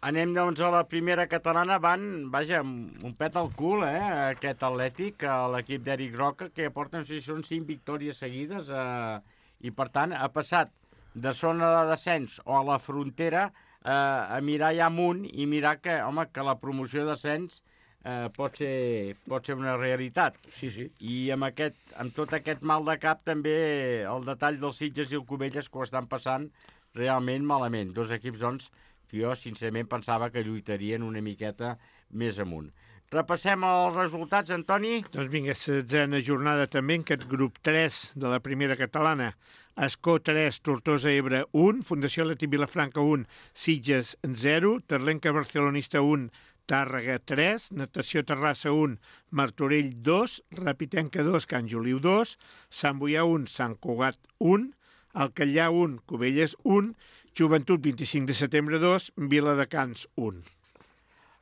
Anem, doncs, a la primera catalana. Van, vaja, un pet al cul, eh, aquest Atlètic, l'equip d'Eric Roca, que porta, no sé si són cinc victòries seguides, eh, i, per tant, ha passat de zona de descens o a la frontera eh, a mirar ja amunt i mirar que, home, que la promoció de descens eh, pot ser, pot ser una realitat. Sí, sí. I amb, aquest, amb tot aquest mal de cap, també el detall dels Sitges i el Cubelles que ho estan passant realment malament. Dos equips, doncs, jo, sincerament, pensava que lluitarien una miqueta més amunt. Repassem els resultats, Antoni? Doncs vinga, setzena jornada també en aquest grup tres de la primera catalana. Escó tres, Tortosa Ebre un, Fundació Atlètic Vilafranca un, Sitges zero, Terlenca Barcelonista un, Tàrrega tres, Natació Terrassa un, Martorell dos, Repitenca dos, Can Juliu dos, Sant Boià un, Sant Cugat un, Alcallà un, Cubelles un, Joventut vint-i-cinc de setembre dos, Viladecans un.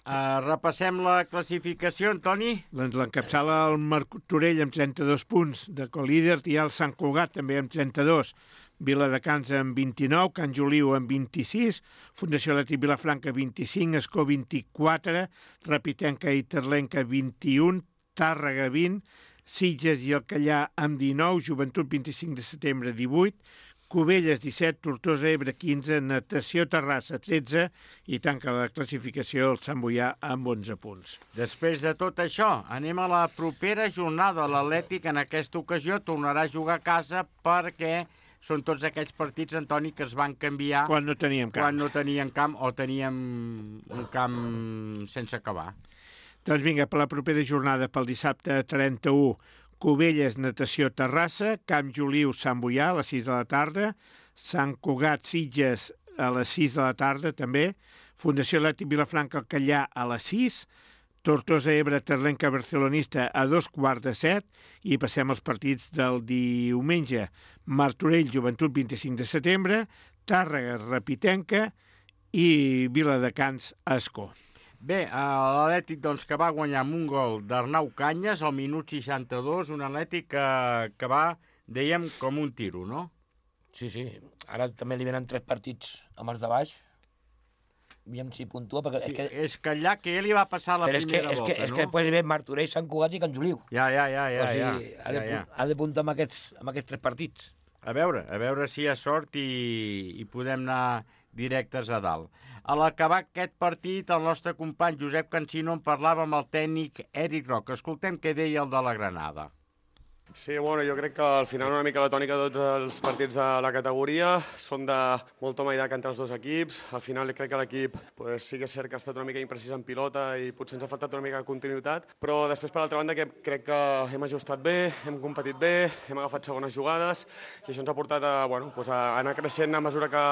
Uh, repassem la classificació, Antoni. Doncs l'encapçala el Martorell amb trenta-dos punts de colíder, i el Sant Cugat també amb trenta-dos, Viladecans amb vint-i-nou, Can Juliu amb vint-i-sis, Fundació Atlètic Vilafranca vint-i-cinc, Escó vint-i-quatre, Repitenca i Terlenca vint-i-un, Tàrrega vint, Sitges i Alcallà amb dinou, Joventut vint-i-cinc de setembre divuit, Cubelles disset, Tortosa Ebre quinze, Natació Terrassa tretze i tanca la classificació el Sant Boià amb onze punts. Després de tot això, anem a la propera jornada. L'Atlètic en aquesta ocasió tornarà a jugar a casa perquè són tots aquells partits, Antoni, que es van canviar Quan no teníem camp. quan no teníem camp o teníem un camp sense acabar. Doncs vinga, per la propera jornada, pel dissabte trenta-u, Cubelles, Natació, Terrassa, Camp Juliu, Sant Boià, a les sis de la tarda, Sant Cugat, Sitges, a les sis de la tarda, també, Fundació Atlètic Vilafranca, Alcallà, a les sis, Tortosa Ebre, Terlenca, Barcelonista, a dos quarts de set, i passem als partits del diumenge. Martorell, Joventut, vint-i-cinc de setembre, Tàrrega, Repitenca i Viladecans, Escó. Bé, l'Atlètic doncs, que va guanyar amb un gol d'Arnau Canyes al minut seixanta-dos, un Atlètic que, que va, dèiem, com un tiro, no? Sí, sí. Ara també li venen tres partits amb els de baix. Aviam si puntua, perquè... Sí, és, que... és que allà que ell li va passar la Però primera és que, volta, és que, no? És que després li ve Martorell, Sant Cugat i Can Juliu. Ja, ja, ja, ja. O sigui, ja, ha, de, ja, ja. ha de puntar amb aquests, amb aquests tres partits. A veure, a veure si hi ha sort i, i podem anar directes a dalt. A l'acabar aquest partit, el nostre company Josep Cancino en parlava amb el tècnic Eric Roca. Escoltem què deia el de la Granada. Sí, bueno, jo crec que al final una mica la tònica de tots els partits de la categoria són de molt toma i daca entre els dos equips. Al final crec que l'equip pues, sí que és cert que ha estat una mica imprecís en pilota i potser ens ha faltat una mica de continuïtat, però després per l'altra banda que crec que hem ajustat bé, hem competit bé, hem agafat segones jugades i això ens ha portat a, bueno, pues a anar creixent a mesura que,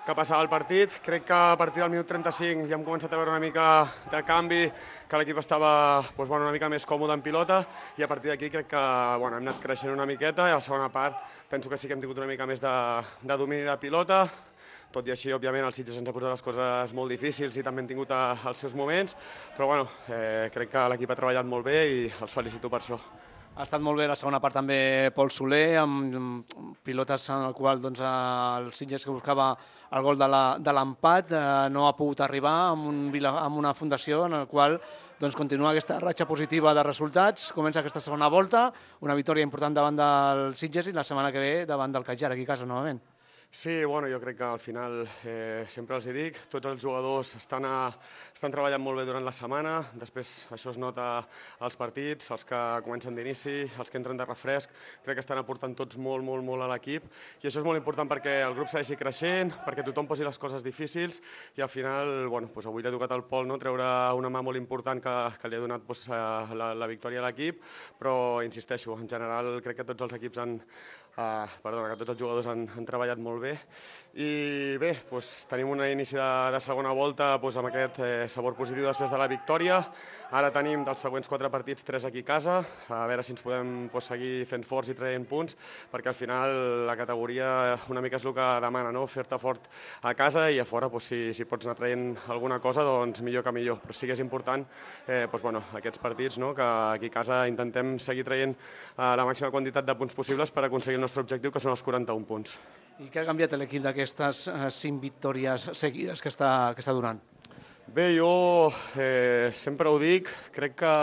que passava el partit. Crec que a partir del minut trenta-cinc ja hem començat a veure una mica de canvi, que l'equip estava pues, bueno, una mica més còmode en pilota i a partir d'aquí crec que bueno, hem anat creixent una miqueta i a la segona part penso que sí que hem tingut una mica més de, de domini de pilota. Tot i així, òbviament, el Sitges ens ha posat les coses molt difícils i també han tingut a, els seus moments, però bueno, eh, crec que l'equip ha treballat molt bé i els felicito per això. Ha estat molt bé la segona part també Pol Soler, amb pilotes en el qual doncs, el Sitges que buscava el gol de l'empat eh, no ha pogut arribar amb, un, amb una fundació en el qual doncs, continua aquesta ratxa positiva de resultats. Comença aquesta segona volta, una victòria important davant del Sitges i la setmana que ve davant del Cajar, aquí a casa novament. Sí, bueno, jo crec que al final, eh, sempre els hi dic, tots els jugadors estan, a, estan treballant molt bé durant la setmana, després això es nota als partits, els que comencen d'inici, els que entren de refresc, crec que estan aportant tots molt, molt, molt a l'equip i això és molt important perquè el grup segueixi creixent, perquè tothom posi les coses difícils i al final, bueno, doncs avui li ha tocat al Pol no, treure una mà molt important que, que li ha donat doncs, la, la victòria a l'equip, però insisteixo, en general crec que tots els equips han, Uh, perdona, que tots els jugadors han, han treballat molt bé i bé, doncs, tenim un inici de, de segona volta doncs, amb aquest eh, sabor positiu després de la victòria. Ara tenim dels següents quatre partits tres aquí a casa, a veure si ens podem doncs, seguir fent forts i traient punts, perquè al final la categoria una mica és el que demana, no? Fer-te fort a casa i a fora doncs, si, si pots anar traient alguna cosa, doncs millor que millor. Però sí que és important eh, doncs, bueno, aquests partits, no? Que aquí a casa intentem seguir traient eh, la màxima quantitat de punts possibles per aconseguir el nostre objectiu, que són els quaranta-un punts. I què ha canviat l'equip d'aquestes eh, cinc victòries seguides que està, que està donant? Bé, jo eh, sempre ho dic, crec que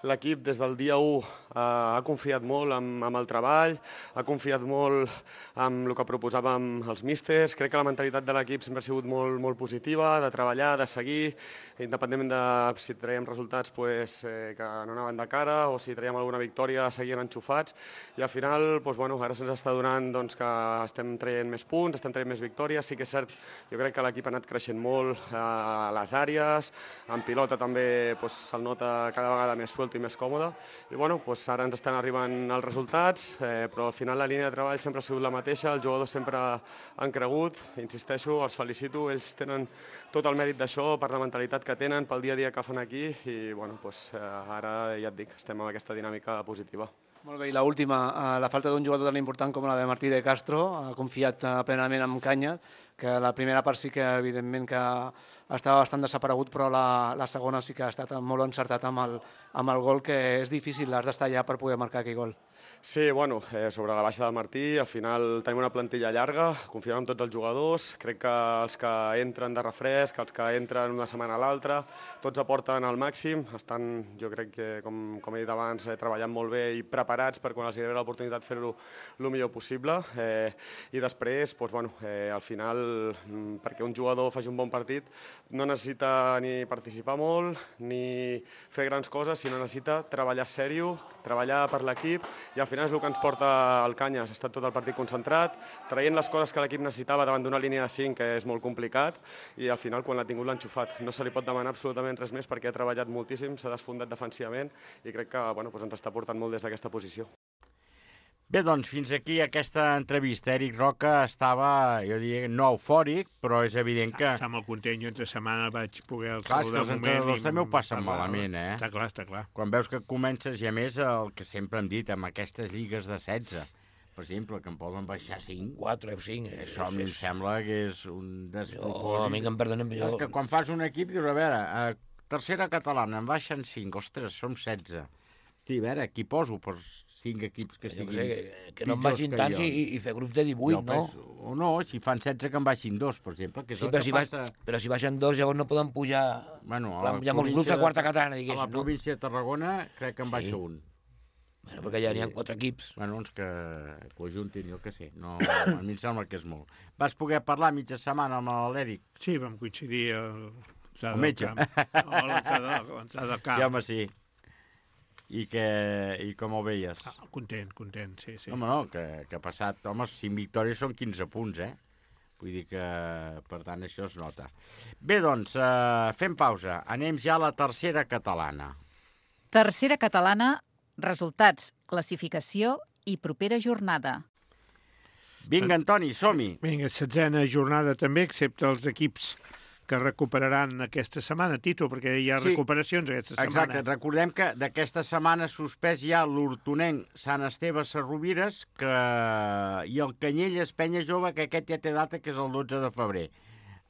l'equip des del dia u eh, ha confiat molt amb, amb el treball, ha confiat molt amb el que proposàvem els místers, crec que la mentalitat de l'equip sempre ha sigut molt, molt positiva, de treballar, de seguir, independentment de si traiem resultats pues, eh, que no anaven de cara o si traiem alguna victòria, seguien enxufats i al final doncs, bueno, ara se'ns està donant doncs, que estem traient més punts, estem traient més victòries, sí que és cert, jo crec que l'equip ha anat creixent molt a les àrees, en pilota també doncs, se'l nota cada vegada més suelto sortir més còmode. I bueno, doncs ara ens estan arribant els resultats, eh, però al final la línia de treball sempre ha sigut la mateixa, els jugadors sempre han cregut, insisteixo, els felicito, ells tenen tot el mèrit d'això, per la mentalitat que tenen, pel dia a dia que fan aquí, i bueno, doncs, eh, ara ja et dic, estem en aquesta dinàmica positiva. Molt bé, i l'última, la falta d'un jugador tan important com la de Martí de Castro, ha confiat plenament en Canya, que la primera part sí que evidentment que estava bastant desaparegut, però la, la segona sí que ha estat molt encertat amb el, amb el gol, que és difícil, has d'estar allà per poder marcar aquell gol. Sí, bueno, eh, sobre la baixa del Martí, al final tenim una plantilla llarga, confiem en tots els jugadors, crec que els que entren de refresc, els que entren una setmana a l'altra, tots aporten al màxim, estan, jo crec que, com, com he dit abans, eh, treballant molt bé i preparats per quan els hi arribi l'oportunitat fer-ho el millor possible. Eh, I després, doncs, bueno, eh, al final, perquè un jugador faci un bon partit, no necessita ni participar molt, ni fer grans coses, sinó necessita treballar sèrio, treballar per l'equip, i al final és el que ens porta al Canyes. Ha estat tot el partit concentrat, traient les coses que l'equip necessitava davant d'una línia de cinc, que és molt complicat, i al final, quan l'ha tingut, l'ha enxufat. No se li pot demanar absolutament res més perquè ha treballat moltíssim, s'ha desfondat defensivament i crec que bueno, doncs ens està portant molt des d'aquesta posició. Bé, doncs, fins aquí aquesta entrevista. Eric Roca estava, jo diria, no eufòric, però és evident que... Està molt content, jo entre setmana vaig poder clar, saludar és que els entrenadors també ho passen malament, eh? Està clar, està clar. Quan veus que comences, i a més, el que sempre hem dit, amb aquestes lligues de setze, per exemple, que em poden baixar cinc. quatre o cinc. Això em sembla que és un despropòsit. Jo, a mi que em perdonem... Jo... És que quan fas un equip, dius, a veure, a tercera catalana en baixen cinc, ostres, som setze. Hosti, a veure, qui poso per cinc equips que siguin... Sé, que, que no en baixin tants i, i fer grups de divuit, no? Penso, o no, si fan setze que en baixin dos, per exemple, que és sí, el però que si passa... Baix, però si baixen dos llavors no poden pujar... Bueno, hi ha molts grups de quarta catalana, diguéssim. A la província de Tarragona crec que en baixa un. Bueno, perquè ja n'hi ha quatre equips. Bueno, doncs que, que ho ajuntin, jo què sé. No, a mi em sembla que és molt. Vas poder parlar mitja setmana amb l'Eric? Sí, vam coincidir el... El metge. O l'entrada del camp. Sí, home, sí. I, que, i com ho veies? Ah, content, content, sí, sí. Home, no, que, que ha passat... Home, cinc victòries són quinze punts, eh? Vull dir que, per tant, això es nota. Bé, doncs, eh, fem pausa. Anem ja a la tercera catalana. Tercera catalana, resultats, classificació i propera jornada. Vinga, Antoni, som-hi. Vinga, setzena jornada també, excepte els equips que recuperaran aquesta setmana, Tito, perquè hi ha sí, recuperacions aquesta setmana. Exacte, recordem que d'aquesta setmana suspès ja l'Hortonenc Sant Esteve Sarrovires que... i el Canyelles Penya Jove, que aquest ja té data, que és el dotze de febrer.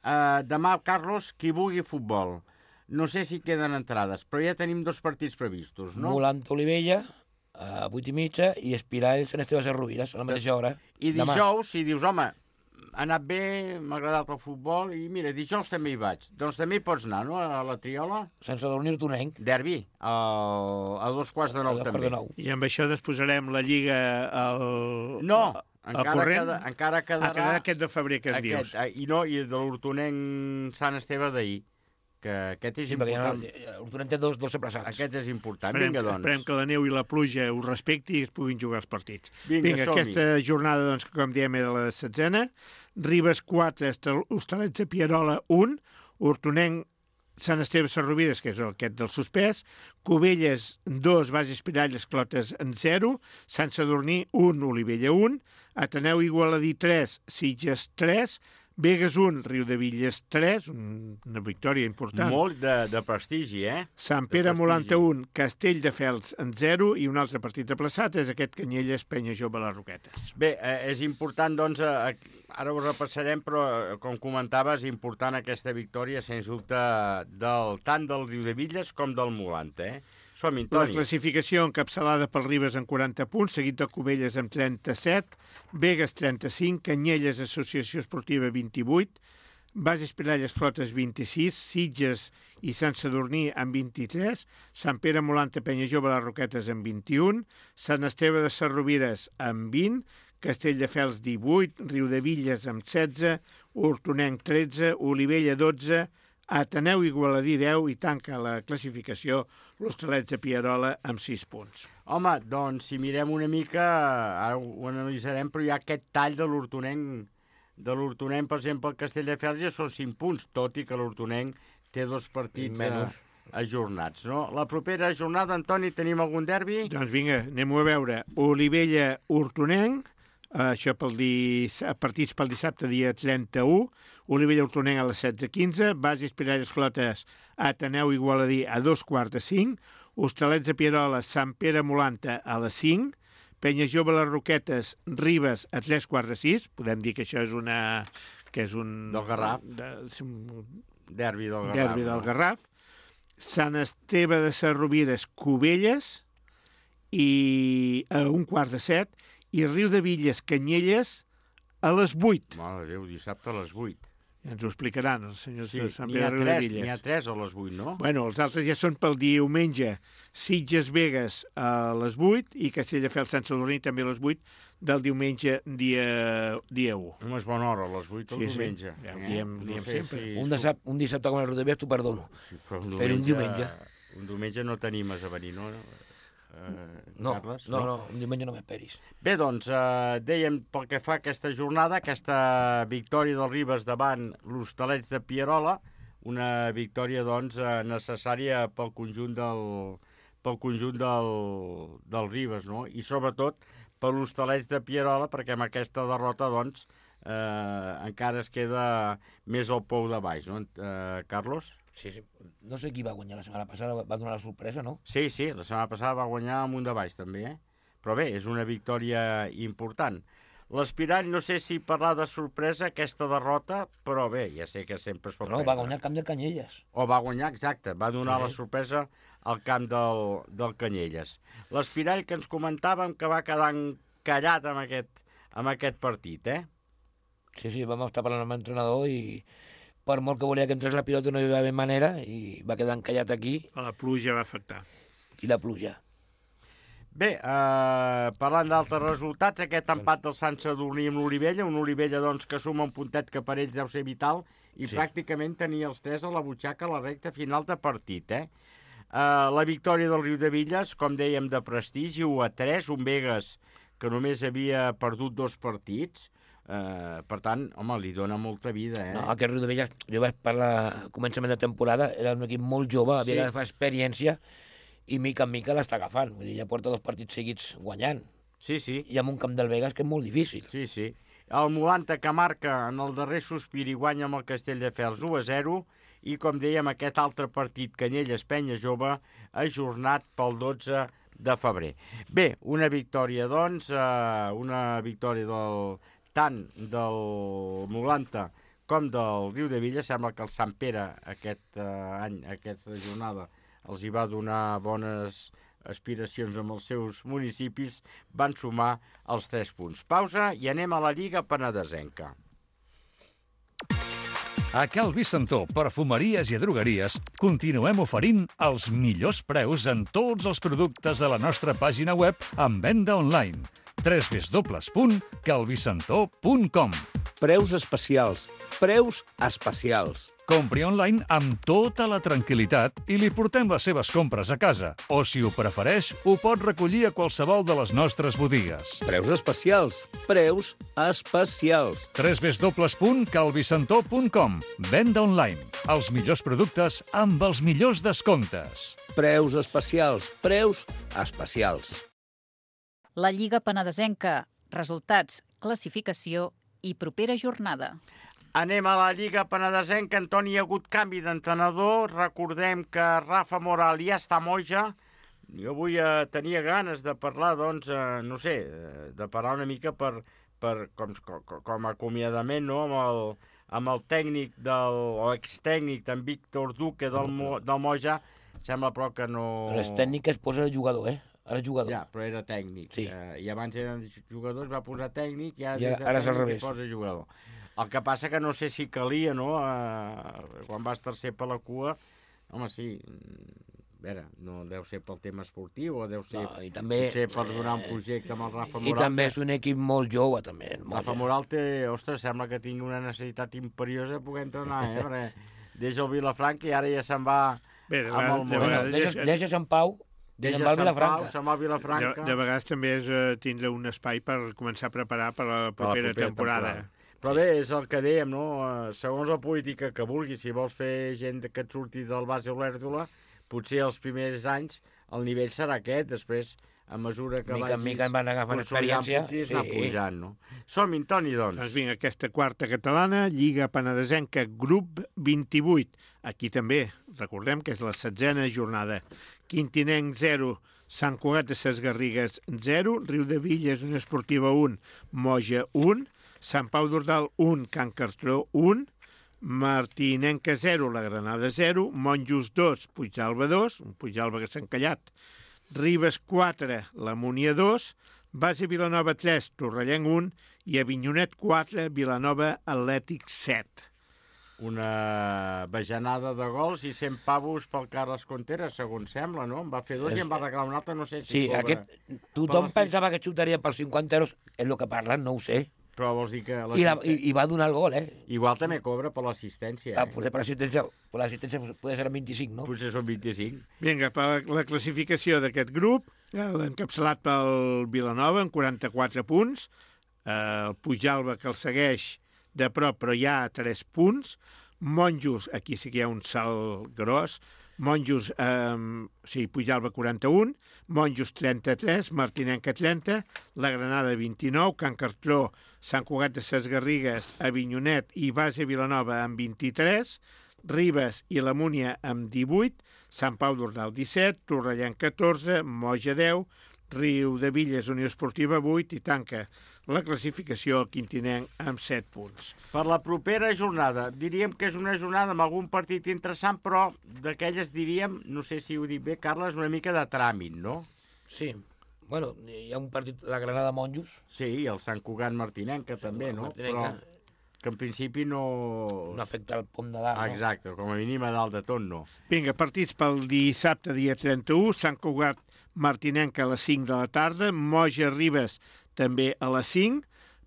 Uh, demà, Carlos, qui vulgui futbol. No sé si queden entrades, però ja tenim dos partits previstos, no? Molant Olivella, a vuit i mitja, i Espirall Sant Esteve Sarrovires, a la mateixa hora. I dijous, si dius, home, ha anat bé, m'ha agradat el futbol, i mira, dijous també hi vaig. Doncs també hi pots anar, no?, a la Triola. Sant Sadurní Hortonenc. Derbi, a, a dos quarts de nou també. I amb això desposarem la Lliga al... No, encara, queda, encara quedarà... Ah, quedarà aquest de febrer que et aquest, dius. I no, i de l'Hortonenc Sant Esteve d'ahir, que aquest és sí, important. Sí, l'Hortonenc té dos, dos sepressats. Aquest és important. Esperem, Vinga, doncs. Esperem que la neu i la pluja ho respecti i es puguin jugar els partits. Vinga, Vinga aquesta jornada, doncs, com diem, era la setzena. Ribes quatre, Hostalets de Pierola un, Hortonenc Sant Esteve Sarrovires, que és aquest del suspès, Cubelles dos, Bages Piralles Clotes en zero, Sant Sadurní un, Olivella un, Ateneu Igualadí tres, Sitges tres, Begues un, Riudevilles tres, una victòria important. Molt de, de prestigi, eh? Sant Pere Molanta un, Castelldefels en zero, i un altre partit aplaçat és aquest Canyelles Penya Jove les Roquetes. Bé, eh, és important, doncs, eh, ara ho repassarem, però, eh, com comentaves, és important aquesta victòria, sens dubte, del, tant del Riudevilles com del Molanta, eh? Som-hi, Toni. La classificació encapçalada pel Ribes en quaranta punts, seguit de Cubelles amb trenta-set, Begues trenta-cinc, Canyelles Associació Esportiva vint-i-vuit, Bases Piralles Clotes vint-i-sis, Sitges i Sant Sadurní amb vint-i-tres, Sant Pere Molanta Penya Jove les Roquetes amb vint-i-un, Sant Esteve de Sarrovires amb vint, Castelldefels divuit, Riudevilles amb setze, Hortonenc tretze, Olivella dotze, Ateneu Igualadí deu i tanca la classificació l'Hostalets de Pierola amb sis punts. Home, doncs, si mirem una mica, ara ho analitzarem, però hi ha aquest tall de l'Hortonenc. De l'Hortonenc, per exemple, el Castelldefels ja són cinc punts, tot i que l'Hortonenc té dos partits, menys. ajornats, no? La propera jornada, Antoni, tenim algun derbi? Doncs vinga, anem-ho a veure. Olivella-Hortonenc, això pel dis... partits pel dissabte, dia trenta-u. Olivella-Hortonenc a les setze quinze. Basis Piralles Clotes, Ateneu Igualadí a dos quarts de cinc. Hostalets de Pierola, Sant Pere Molanta a les cinc. Penya Jove Les Roquetes, Ribes a tres quarts de sis. Podem dir que això és una... que és un... Del Garraf. De, un... Derbi del Garraf. Derbi del Garraf. Sant Esteve de Sarrovires, Cubelles, i a un quart de set. I Riu de Villes, Canyelles, a les vuit. Mare de Déu, dissabte a les vuit. Ja ens ho explicaran els senyors Sí, de Sant n'hi ha Pere de tres, Villes. n'hi ha tres a les vuit, no? Bueno, els altres ja són pel diumenge. Sitges Vegas a les vuit i Castelldefels Sant Sadurní també a les vuit del diumenge dia, dia u. Home, és bona hora, a les vuit el Sí, sí. diumenge. Ja ho diem- diem sempre. Un, dissabte, un dissabte com el Rodalies t'ho perdono. Sí, però un Però un diumenge. Un diumenge no t'animes a venir, no? Eh, No, Carles, no, no, un diumenge no m'esperis. Bé, doncs, eh, dèiem pel que fa a aquesta jornada, aquesta victòria del Ribes davant l'Hostalets de Pierola, una victòria, doncs, eh, necessària pel conjunt del, pel conjunt del, del Ribes, no? I sobretot per l'Hostalets de Pierola, perquè amb aquesta derrota, doncs, eh, encara es queda més al pou de baix, no, eh, Carlos? Sí, sí. No sé qui va guanyar la setmana passada, va donar la sorpresa, no? Sí, sí, la setmana passada va guanyar amunt de baix, també, eh? Però bé, és una victòria important. L'Espirall, no sé si parlar de sorpresa, aquesta derrota, però bé, ja sé que sempre es pot Però no, va guanyar el camp del Canyelles. O va guanyar, exacte, va donar Sí. la sorpresa al camp del, del Canyelles. L'Espirall, que ens comentàvem que va quedar encallat amb aquest, amb aquest partit, eh? Sí, sí, vam estar parlant amb l'entrenador i per molt que volia que entrés la pilota no hi va haver manera i va quedar encallat aquí. La pluja va afectar. I la pluja. Bé, eh, parlant d'altres resultats, aquest empat del Sant Sadurní amb l'Olivella, un Olivella doncs, que suma un puntet que per ells deu ser vital i Sí. pràcticament tenia els tres a la butxaca a la recta final de partit. Eh? Eh, la victòria del Riu de Villes, com dèiem, de prestigi, u a tres, un Vegas que només havia perdut dos partits. Eh, per tant, home, li dona molta vida, eh? No, aquest Riu de Villas, jo vaig parlar a començament de temporada, era un equip molt jove, havia Sí. d'agafar experiència i mica en mica l'està agafant. Vull dir, ja porta dos partits seguits guanyant. Sí, sí. I amb un camp del Vegas que és molt difícil. Sí, sí. El Molanta, que marca en el darrer sospir i guanya amb el Castelldefels u a zero, i com dèiem, aquest altre partit, Canyelles-Penya Jove, ajornat pel dotze de febrer. Bé, una victòria, doncs, eh, una victòria del, tant del Molanta com del Riu de Villes. Sembla que el Sant Pere aquest eh, any, aquesta jornada, els hi va donar bones aspiracions amb els seus municipis, van sumar els tres punts. Pausa i anem a la Lliga Penedesenca. A Cal Vicentó, perfumeries i drogueries, continuem oferint els millors preus en tots els productes de la nostra pàgina web en venda online. w w w punt calvicentó punt com. Preus especials. Preus especials. Compri online amb tota la tranquil·litat i li portem les seves compres a casa. O, si ho prefereix, ho pot recollir a qualsevol de les nostres botigues. Preus especials. Preus especials. w w w punt calvicentó punt com. Venda online. Els millors productes amb els millors descomptes. Preus especials. Preus especials. La Lliga Penedesenca. Resultats, classificació i propera jornada. Anem a la Lliga Penedesenca. Antoni, hi ha hagut canvi d'entrenador. Recordem que Rafa Moral ja està a Moja. Jo avui eh, tenia ganes de parlar, doncs, eh, no sé, eh, de parlar una mica per, per com, com, com a acomiadament, no?, amb el, amb el tècnic del, o extècnic d'en Víctor Duque del, Mo, del Moja. Sembla, però, que no... Les tècniques posa el jugador, eh? Ara és jugador. Ja, però era tècnic. Sí. Eh, I abans eren jugadors, va posar tècnic, i ara, I ara- des de ara és al tècnic revés. hi posa jugador. El que passa que no sé si calia, no?, eh, quan vas tercer per la cua, home, sí, a veure, no deu ser pel tema esportiu, o deu ser No, i també, potser per donar un projecte amb el Rafa I Moral. també és un equip molt jove, també. Molt Rafa jove. Moral té, ostres, sembla que tingui una necessitat imperiosa de poder entrenar, eh? Perquè deixa el Vilafranca i ara ja se'n va Bé, de amb vegades- el de Moll. vegades Deixa, deixa Sant Pau i Deixa se'n va al Sant Pau, Vilafranca. se'n va al Vilafranca. De, de vegades també és eh, tindre un espai per començar a preparar per la Per la propera, propera temporada. temporada. Però bé, és el que dèiem, no? Eh, Segons la política que vulguis, si vols fer gent que et surti del base Olèrdola, potser els primers anys el nivell serà aquest, després, a mesura que mica en vagis mica van agafant experiència, puntins, sí. anar pujant, no? Som-hi, Toni, doncs. Doncs vinga, aquesta quarta catalana, Lliga Penedesenca, grup vint-i-vuit. Aquí també, recordem que és la setzena jornada. Quintinenc zero, Sant Cugat de Ses Garrigues zero, Riudevilles, Unió Esportiva un, Moja un, Sant Pau d'Ordal un, Can Cartró un, Martinenca zero, la Granada zero, Monjos dos, Puigdàlber dos, un Puigdàlber que s'ha encallat, Ribes quatre, la Múnia dos, Base Vilanova tres, Torrellenc un i Avinyonet quatre, Vilanova Atlètic set. Una bajanada de gols i cent pavos pel Carles Contreras, segons sembla, no? En va fer dos i en va regalar un altre, no sé si... Sí, cobra... aquest, tothom pensava que xutaria per cinquanta euros, és el que parlen, no ho sé. Però vols dir que... I, la, i, I va donar el gol, eh? Igual també cobra per l'assistència, eh? Ah, potser per l'assistència, per l'assistència potser serà vint-i-cinc, no? Potser són vint-i-cinc. Vinga, per la classificació d'aquest grup, l'encapçalat pel Vilanova amb quaranta-quatre punts, el Puigdàlber que el segueix de prop, però hi ha tres punts, Monjos, aquí sí que hi ha un salt gros, Monjos, eh, sí, Puigdàlber quaranta-un, Monjos trenta-tres, Martinenca trenta, la Granada vint-i-nou, Can Cartró, Sant Cugat de Ses Garrigues, Avinyonet i Base Vilanova amb vint-i-tres, Ribes i la Múnia amb divuit, Sant Pau d'Ordal disset, Torrellenc catorze, Moja deu, Riudevilles, Unió Esportiva vuit i tanca la classificació al Quintinenc amb set punts. Per la propera jornada, diríem que és una jornada amb algun partit interessant, però d'aquelles diríem, no sé si ho dic bé, Carles, una mica de tràmit, no? Sí. Bueno, hi ha un partit, la Granada Monjos. Sí, i el Sant Cugat Martinenca també, no? Martinenca. Però que en principi no... No afecta el pom de dalt, no? Exacte, com a mínim a dalt de tot, no. Vinga, partits pel dissabte, dia trenta-u, Sant Cugat Martinenca a les cinc de la tarda, Moja Ribes també a les cinc,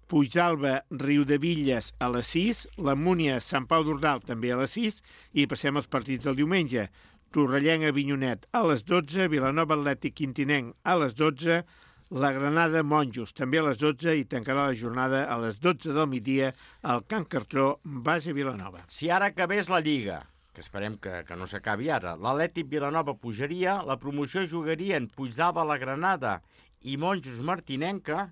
Puigdàlber Riudevilles a les sis, la Múnia Sant Pau d'Ordal també a les sis i passem als partits del diumenge. Torrellenc Avinyonet a les dotze, Vilanova Atlètic Quintinenc a les dotze, la Granada Monjos també a les dotze i tancarà la jornada a les dotze del migdia al Can Cartró, Base Vilanova. Si ara acabés la Lliga, que esperem que, que no s'acabi ara, l'Atlètic Vilanova pujaria, la promoció jugarien Puigdàlber la Granada i Monjos Martinenca,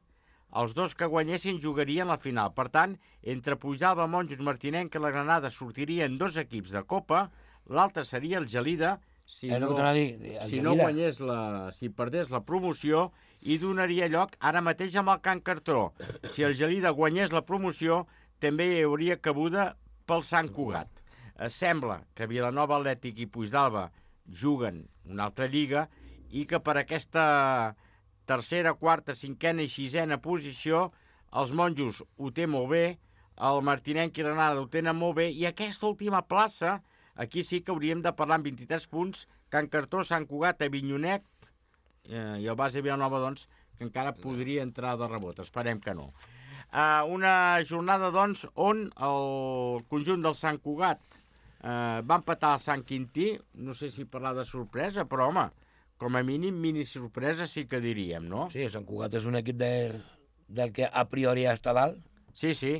els dos que guanyessin jugarien la final. Per tant, entre Puigdàlber, Monjos, Martinenca i la Granada sortirien dos equips de Copa, l'altre seria el Gelida, si eh, no, no, dir, si no guanyés la, si perdés la promoció, i donaria lloc ara mateix amb el Can Cartró. Si el Gelida guanyés la promoció, també hi hauria cabuda pel Sant Cugat. Eh, sembla que Vilanova Atlètic i Puigdàlber juguen una altra lliga i que per aquesta tercera, quarta, cinquena i sisena posició, els Monjos ho té molt bé, el Martinenc i la Granada ho tenen molt bé, i aquesta última plaça, aquí sí que hauríem de parlar amb vint-i-tres punts, Can Cartró, Sant Cugat, Avinyonet, eh, i el Base Vilanova, doncs, que encara podria entrar de rebot, esperem que no. Eh, una jornada, doncs, on el conjunt del Sant Cugat eh, va empatar el Sant Quintí, no sé si parlar de sorpresa, però, home, com a mínim, mini sorpresa sí que diríem, no? Sí, Sant Cugat és un equip de, del que a priori està dalt. Sí, sí.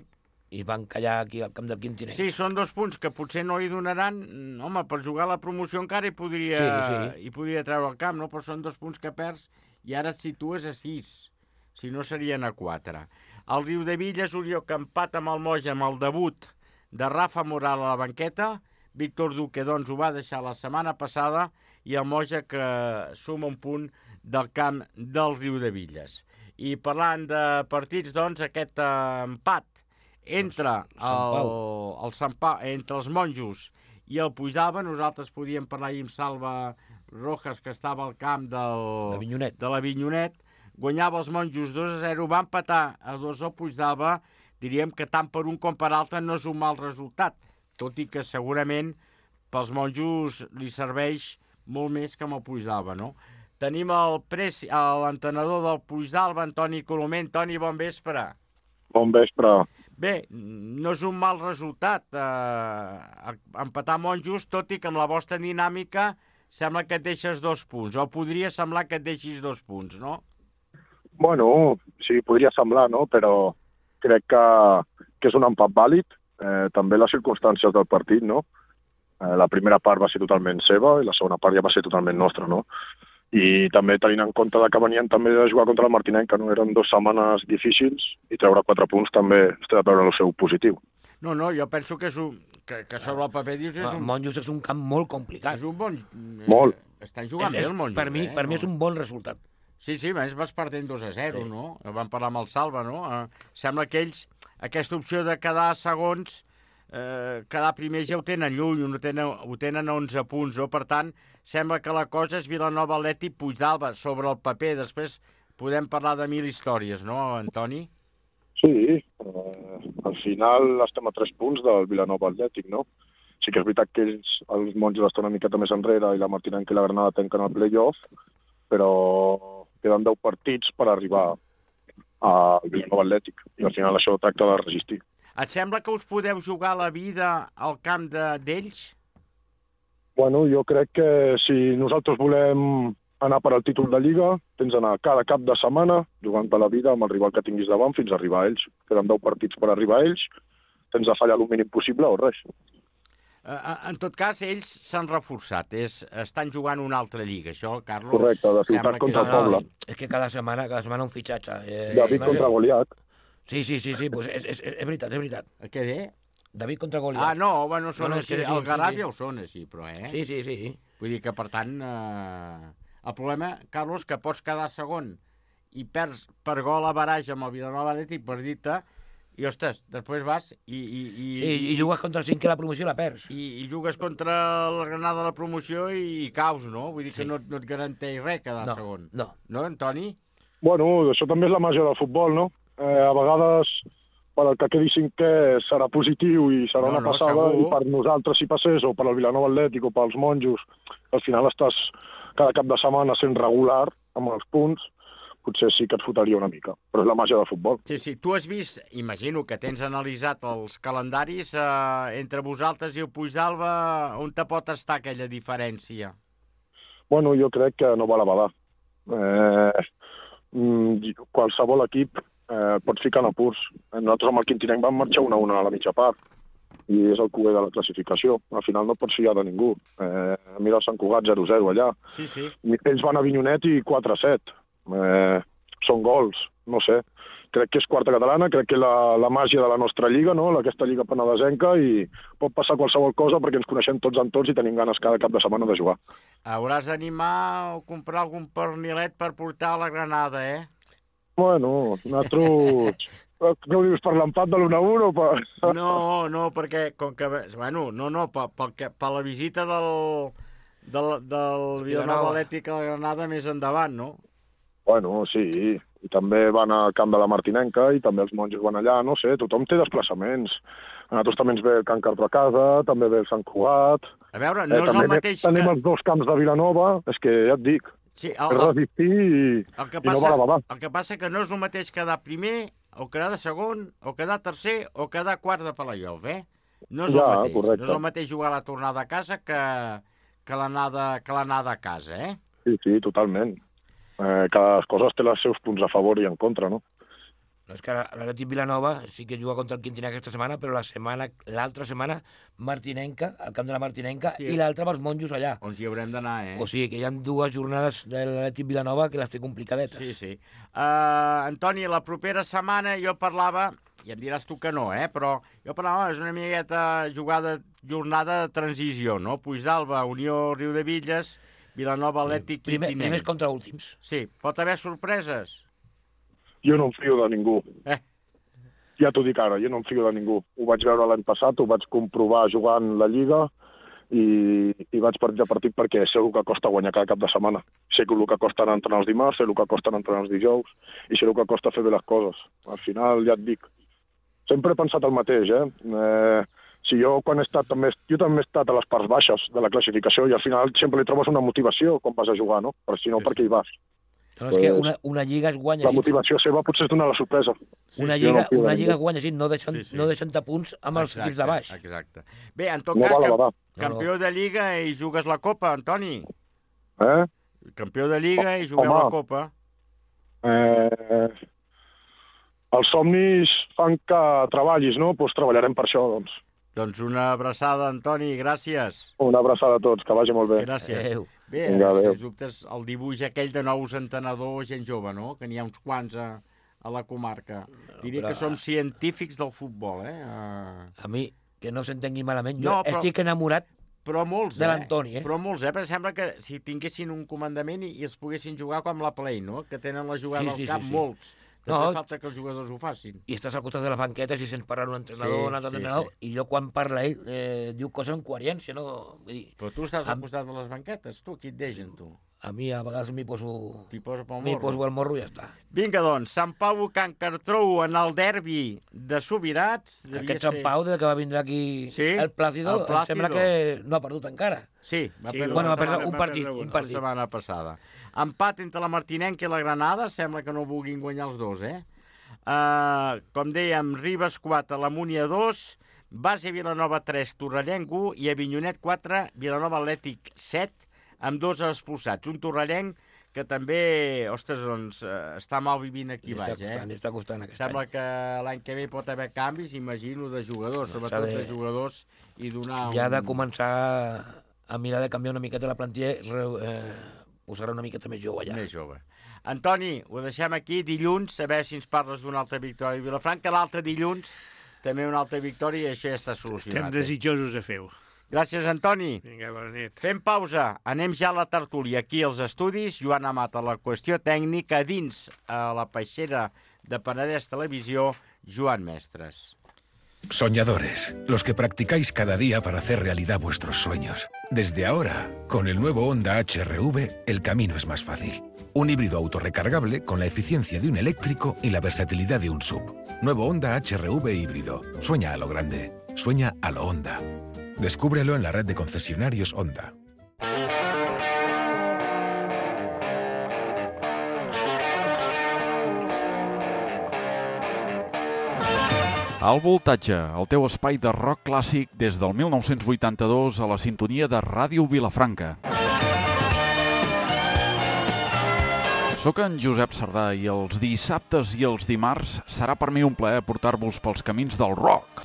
I van callar aquí al camp del Quintinenc. Sí, són dos punts que potser no li donaran... Home, per jugar a la promoció encara hi podria, sí, sí. hi podria treure el camp, no? Però són dos punts que perds i ara et situes a sis. Si no, serien a quatre. El Riudevilles, Orió, que empata amb el Moja amb el debut de Rafa Moral a la banqueta. Víctor Duque, doncs, ho va deixar la setmana passada, i el Moja que suma un punt del camp del Riudevilles. I parlant de partits, doncs, aquest empat entre el, el Sant Pau, entre els Monjos i el Puigdàlber, nosaltres podíem parlar ahir amb Salva Rojas, que estava al camp del, de l'Avinyonet, guanyava els Monjos dos a zero, va empatar a dos al Puigdàlber, diríem que tant per un com per altre no és un mal resultat, tot i que segurament pels Monjos li serveix molt més que amb el Puigdàlber, no? Tenim l'entenedor del Puigdàlber, Antoni Colomer. Antoni, bon vespre. Bon vespre. Bé, no és un mal resultat eh, empatar Monjos, tot i que amb la vostra dinàmica sembla que et deixes dos punts, o podria semblar que et deixis dos punts, no? Bueno, sí, podria semblar, no? Però crec que, que és un empat vàlid, eh, també les circumstàncies del partit, no? Eh, la primera part va ser totalment seva i la segona part ja va ser totalment nostra, no? I també tenint en compte que venien també de jugar contra el Martinenca, no? Eren dues setmanes difícils i treure quatre punts també està de veure el seu positiu. No, no, jo penso que, és un, que, que sobre el paper dius... És un... Monjos és un camp molt complicat. És un bon... Molt. Estan jugant és, bé és, el Monjos, per mi, eh? Per mi és un bon resultat. Sí, sí, a més vas perdent dos a zero, sí. No? Vam parlar amb el Salva, no? Eh, sembla que ells, aquesta opció de quedar segons, eh, quedar primers ja ho tenen lluny, ho tenen, ho tenen a onze punts, no? Per tant, sembla que la cosa és Vilanova, Atlètic, Puigdàlber, sobre el paper. Després podem parlar de mil històries, no, Antoni? Sí, eh, al final estem a tres punts del Vilanova Atlètic, no? Sí que és veritat que ells, els Monjos estan una miqueta més enrere i la Martinenca i la Granada tanquen el play-off, però queden deu partits per arribar al Vilanova Atlètic i al final això tracta de resistir. Et sembla que us podeu jugar la vida al camp d'ells? Bueno, jo crec que si nosaltres volem anar per al títol de Lliga, tens d'anar cada cap de setmana jugant per la vida amb el rival que tinguis davant fins a arribar a ells. Queden deu partits per arribar a ells, tens de fallar el mínim possible o res. En tot cas, ells s'han reforçat, és, estan jugant una altra lliga, això, Carlos... Correcte, de ciutat contra el poble. No, és que cada setmana, cada setmana un fitxatge. Eh, David contra Goliat. Sí, sí, sí, sí, pues és, és, és veritat, és veritat. Què bé? David contra Goliat. Ah, no, bueno, són no, no, així, sí, el Garàs sí, ja ho són així, però, eh? Sí, sí, sí. Vull dir que, per tant, eh... el problema, Carlos, que pots quedar segon i perds per gol a baraix amb el Vilanova Atlètic per dir-te, i, ostres, després vas i... I, i, sí, i jugues contra el cinquè de la promoció i la perds. I, i jugues contra la Granada de la promoció i, i caus, no? Vull dir sí. que no, no et garanteix res quedar no, segon. No. No, Antoni? Bueno, això també és la màgia del futbol, no? Eh, a vegades, per al que quedi cinquè serà positiu i serà no, una passada, no, i per nosaltres si passés, o per al Vilanova Atlètic o pels Monjos, al final estàs cada cap de setmana sent regular amb els punts, potser sí que et fotria una mica, però és la màgia del futbol. Sí, sí. Tu has vist, imagino que tens analitzat els calendaris, eh, entre vosaltres i el Puigdàlber, on te pot estar aquella diferència? Bueno, jo crec que no val a badar. Eh, qualsevol equip eh, pot ficar en apurs. Nosaltres amb el Quintinenc vam marxar una a una a la mitja part, i és el cuber de la classificació. Al final no pots fiar de ningú. Eh, mira el Sant Cugat zero zero allà. Sí, sí. Ells van a Avinyonet i quatre a set. Eh, són gols, no sé. Crec que és quarta catalana, crec que la, la màgia de la nostra lliga, no? Aquesta lliga penedesenca, i pot passar qualsevol cosa perquè ens coneixem tots en tots i tenim ganes cada cap de setmana de jugar. Hauràs d'animar o comprar algun pernilet per portar a la Granada, eh? Bueno, nosaltres... Què ho dius, per l'empat de l'u a u o per... No, no, perquè com que... Bueno, no, no, per, per, per la visita del, del, del Vilanova Atlètic a la Granada més endavant, no? Bueno, sí, i també van al camp de la Martinenca i també els Monjos van allà, no sé, tothom té desplaçaments. A nosaltres també ens ve el Can Cardo a casa, també ve el Sant Cugat... A veure, no eh, és el mateix que... Tenim que... els dos camps de Vilanova, és que ja et dic, sí, el, és resistir i, el que i passa, no val a badar. El que passa que no és el mateix quedar primer, o quedar de segon, o quedar tercer, o quedar quart de playoff, eh? No és ja, el mateix. Correcte. No és el mateix jugar la tornada a casa que, que l'anada a casa, eh? Sí, sí, totalment. Eh, cada cosa té els seus punts a favor i en contra, no? No, és que l'Atlètic Vilanova sí que juga contra el Quintinenc aquesta setmana, però la setmana, l'altra setmana Martinenca, al camp de la Martinenca, sí. I l'altra amb els Monjos allà. On hi haurem d'anar, eh? O sigui que hi ha dues jornades de l'Atlètic Vilanova que les té complicadetes. Sí, sí. Uh, Antoni, la propera setmana jo parlava, i em diràs tu que no, eh? Però jo parlava, és una miqueta jugada, jornada de transició, no? Puigdàlber, Unió Riudebitlles, Vilanova Atlètic, sí. Primer, Quintinenc. Primers contra últims. Sí. Pot haver sorpreses? Jo no em fio de ningú. Eh. Ja t'ho dic ara, jo no em fio de ningú. Ho vaig veure l'any passat, ho vaig comprovar jugant la Lliga i, i vaig per ja partit perquè sé el que costa guanyar cada cap de setmana. Sé el que costa entrenar els dimarts, sé el que costa entrenar els dijous i sé el que costa fer bé les coses. Al final, ja et dic, sempre he pensat el mateix, eh? eh si jo quan he estat també, jo també he estat a les parts baixes de la classificació i al final sempre li trobes una motivació quan vas a jugar, no? Però si no, per què hi vas? No, és que una, una lliga es guanya... La motivació seva potser és donar la sorpresa. Sí, una lliga, no una lliga es guanya així, no deixant, sí, sí. no deixant punts amb els equips de baix. Exacte. Bé, en tot no cas, val camp, no, campió no. de Lliga i jugues la Copa, Antoni. Eh? Campió de Lliga i jugueu Home, la Copa. Eh, els somnis fan que treballis, no? Doncs pues treballarem per això, doncs. Doncs una abraçada, Antoni, gràcies. Una abraçada a tots, que vagi molt bé. Gràcies. Adéu. Bé, Vinga, adéu. sens dubtes, el dibuix aquell de nous entenedors, gent jove, no? Que n'hi ha uns quants a, a la comarca. Diria però- que som científics del futbol, eh? Uh... A mi, que no s'entengui malament, jo No, però- estic enamorat Però molts, de eh? l'Antoni, eh? Però molts, eh? Perquè sembla que si tinguessin un comandament i, i els poguessin jugar com la Play, no? Que tenen la jugada Sí, al sí, cap, sí, sí. molts. També No. falta que els jugadors ho facin. I estàs al costat de les banquetes i sents parlar un entrenador, Sí, un altre sí, entrenador, sí. i jo quan parla ell eh, diu coses amb coherència, no? Vull dir, Però tu estàs al Am- costat de les banquetes, tu, qui et deixen, tu? a mi a vegades m'hi poso, T'hi posa pel m'hi morro. poso al morro i ja està. Vinga, doncs, Sant Pau Can Cartrou en el derbi de Subirats. devia Aquest ser- Sant Pau, des que va vindre aquí Sí, el Plàcido, el Plácido. em sembla que no ha perdut encara. Sí, va Sí, perdre bueno, la va perdre setmana- un va partit, perdre un la partit. setmana passada. Empat entre la Martinenca i la Granada, sembla que no vulguin guanyar els dos, eh? Uh, com dèiem, Ribes quatre, la Múnia dos, Base Vilanova tres, Torrellenc u i Avinyonet quatre, Vilanova Atlètic set, amb dos expulsats. Un torrellenc que també, ostres, doncs, eh, està mal vivint aquí Li està baix, costant, li eh? està costant aquest Sembla any. que l'any que ve pot haver canvis, imagino, de jugadors, S'ha sobretot de- de jugadors, i donar Ja ha de un... començar a mirar de canviar una miqueta la plantilla, re- eh, posar una miqueta més jove ja. Més jove. Antoni, ho deixem aquí. Dilluns, a veure si ens parles d'una altra victòria a Vilafranca. L'altre dilluns, també una altra victòria i això ja està solucionat. Estem desitjosos de fer-ho. Gràcies, Antoni. Vinga, bona nit. Fem pausa. Anem ja a la tertúlia. Aquí als estudis, Joan Amat a la qüestió tècnica, dins a la peixera de Penedès Televisió, Joan Mestres. Soñadores, los que practicáis cada día para hacer realidad vuestros sueños. Desde ahora, con el nuevo Honda H R V, el camino es más fácil. Un híbrido autorrecargable con la eficiencia de un eléctrico y la versatilidad de un S U V. Nuevo Honda H R V híbrido. Sueña a lo grande. Sueña a lo Honda. Descúbrelo en la red de concesionarios Honda. Al voltatge, el teu espai de rock clàssic des del mil nou-cents vuitanta-dos a la sintonia de Ràdio Vilafranca. Soc en Josep Sardà i els dissabtes i els dimarts serà per mi un plaer portar-vos pels camins del rock.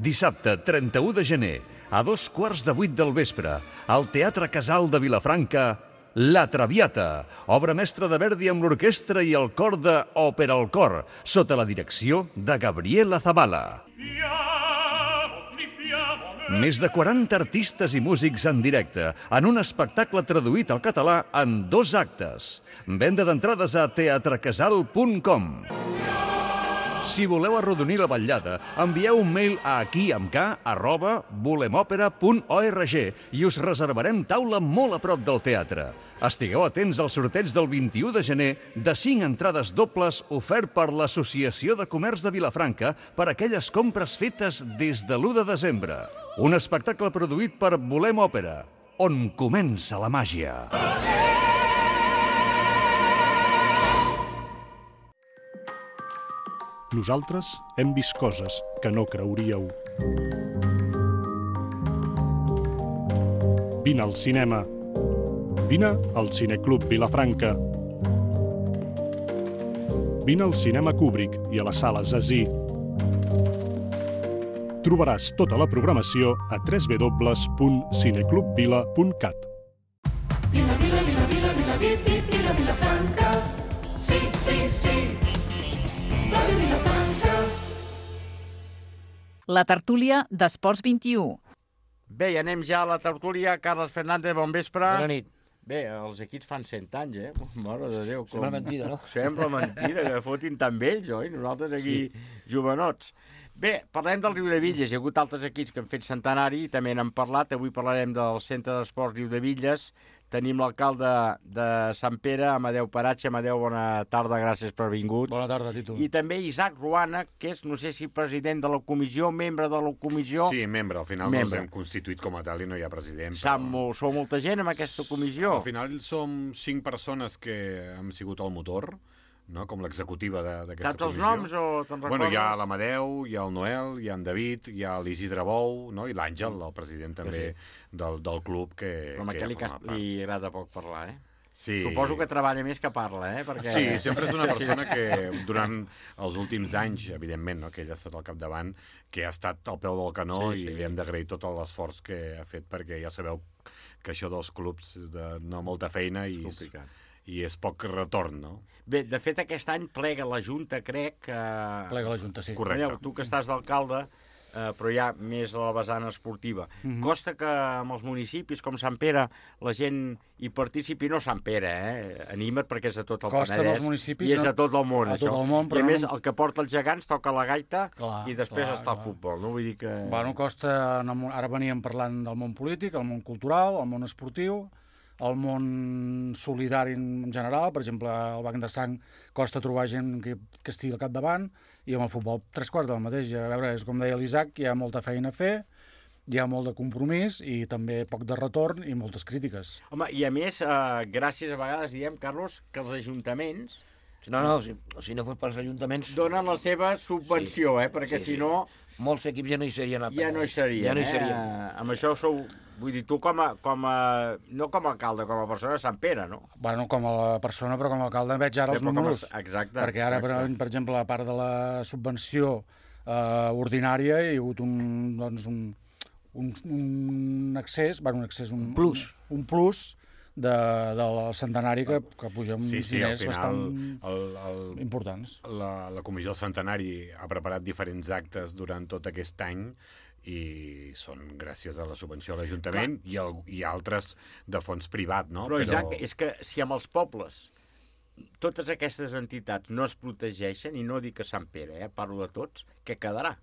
Dissabte, trenta-u de gener, a dos quarts de vuit del vespre, al Teatre Casal de Vilafranca, La Traviata, obra mestra de Verdi amb l'orquestra i el cor de Òpera al Cor, sota la direcció de Gabriela Zavala. Més de quaranta artistes i músics en directe, en un espectacle traduït al català en dos actes. Venda d'entrades a teatrecasal punt com. Si voleu arrodonir la vetllada, envieu un mail a aquiamk arroba volemòpera punt org i us reservarem taula molt a prop del teatre. Estigueu atents al sorteig del vint-i-u de gener de cinc entrades dobles ofert per l'Associació de Comerç de Vilafranca per aquelles compres fetes des de l'u de desembre. Un espectacle produït per Volem Òpera, on comença la màgia. Nosaltres hem vist coses que no creuríeu. Vine al cinema. Vine al Cineclub Vilafranca. Vine al Cinema Kubrick i a la Sala Zazí. Trobaràs tota la programació a w w w punt cineclubvila punt cat. Vila, vila, vila, vila, vila, vila, vila, Vilafranca. Sí, sí, sí. Ràdio Vilafranca. La tertúlia d'Esports vint-i-u. Bé, i anem ja a la tertúlia. Carles Fernández, bon vespre. Bona nit. Bé, els equips fan cent anys, eh? Mare de Déu. Com... Sembla mentida, no? Sembla mentida, que fotin tan vells, oi? Nosaltres aquí, sí. Jovenots. Bé, parlem del Riudevilles. Hi ha hagut altres equips que han fet centenari i també n'han parlat. Avui parlarem del Centre d'Esports Riudevilles. tenim l'alcalde de Sant Pere, Amadeu Paratge. Amadeu, bona tarda, gràcies per haver vingut. Bona tarda, Tito. I també Isaac Ruana, que és, no sé si president de la comissió, membre de la comissió... Sí, membre. Al final membre. no ens hem constituït com a tal i no hi ha president. Sap, però... molt, sou molta gent en aquesta comissió? Al final som cinc persones que hem sigut al motor, no? Com l'executiva d'aquesta comissió. Saps els noms o te'n recordes? Bueno, hi ha l'Amadeu, hi ha el Noel, hi ha en David, hi ha l'Isidre Bou, no? I l'Àngel, el president també del, del club que, Però amb que aquell li, forma part. li agrada poc parlar, eh? Sí. Suposo que treballa més que parla, eh? Perquè... Sí, sempre és una persona que durant els últims anys, evidentment, no, que ell ha estat al capdavant, que ha estat al peu del canó Sí, sí. i li hem d'agrair tot l'esforç que ha fet, perquè ja sabeu que això dels clubs és de no molta feina i és, i és poc retorn, no? Bé, de fet, aquest any plega la Junta, crec que... Plega la Junta, sí. Correcte. Manel, tu que estàs d'alcalde, eh, però ja més a la vessant esportiva. Mhm. Costa que amb els municipis com Sant Pere la gent hi participi, no Sant Pere, eh? Anima't perquè és a tot el Costa Penedès. amb els municipis, I és no- a tot el món, a tot això. el món, però I a no- més, el que porta els gegants toca la gaita Clar, i després clar, està el clar. futbol, no? Vull dir que... Bueno, costa, en el món- ara veníem parlant del món polític, el món cultural, el món esportiu, el món solidari en general, per exemple, al Banc de Sang costa trobar gent que, que estigui al capdavant, i amb el futbol tres quarts del mateix. A veure, és com deia l'Isaac, hi ha molta feina a fer, hi ha molt de compromís i també poc de retorn i moltes crítiques. Home, i a més, eh, gràcies a vegades, diem, Carlos, que els ajuntaments... No, no, si, si no fos pels ajuntaments... Donen la seva subvenció, sí, eh? Perquè sí, si sí. no... Molts equips ja no hi serien. Ja no hi serien, ja no hi eh? serien. Amb això sou... Vull dir, tu com a, com a... No com a alcalde, com a persona de Sant Pere, no? Bueno, com a persona, però com a alcalde veig ara Bé, els però com a- números. exacte, Perquè ara, per, exacte. per exemple, a part de la subvenció eh, ordinària, hi ha hagut un, doncs, un, un, un accés, bueno, un accés, un, un plus, un, un plus de, del centenari que, que puja uns Sí, sí, al diners final bastant el, el, importants. La, la Comissió del Centenari ha preparat diferents actes durant tot aquest any i són gràcies a la subvenció a l'Ajuntament i, el, i altres de fons privat, no? Però, Isaac, és que si amb els pobles totes aquestes entitats no es protegeixen, i no dic que Sant Pere, eh, parlo de tots, què quedarà?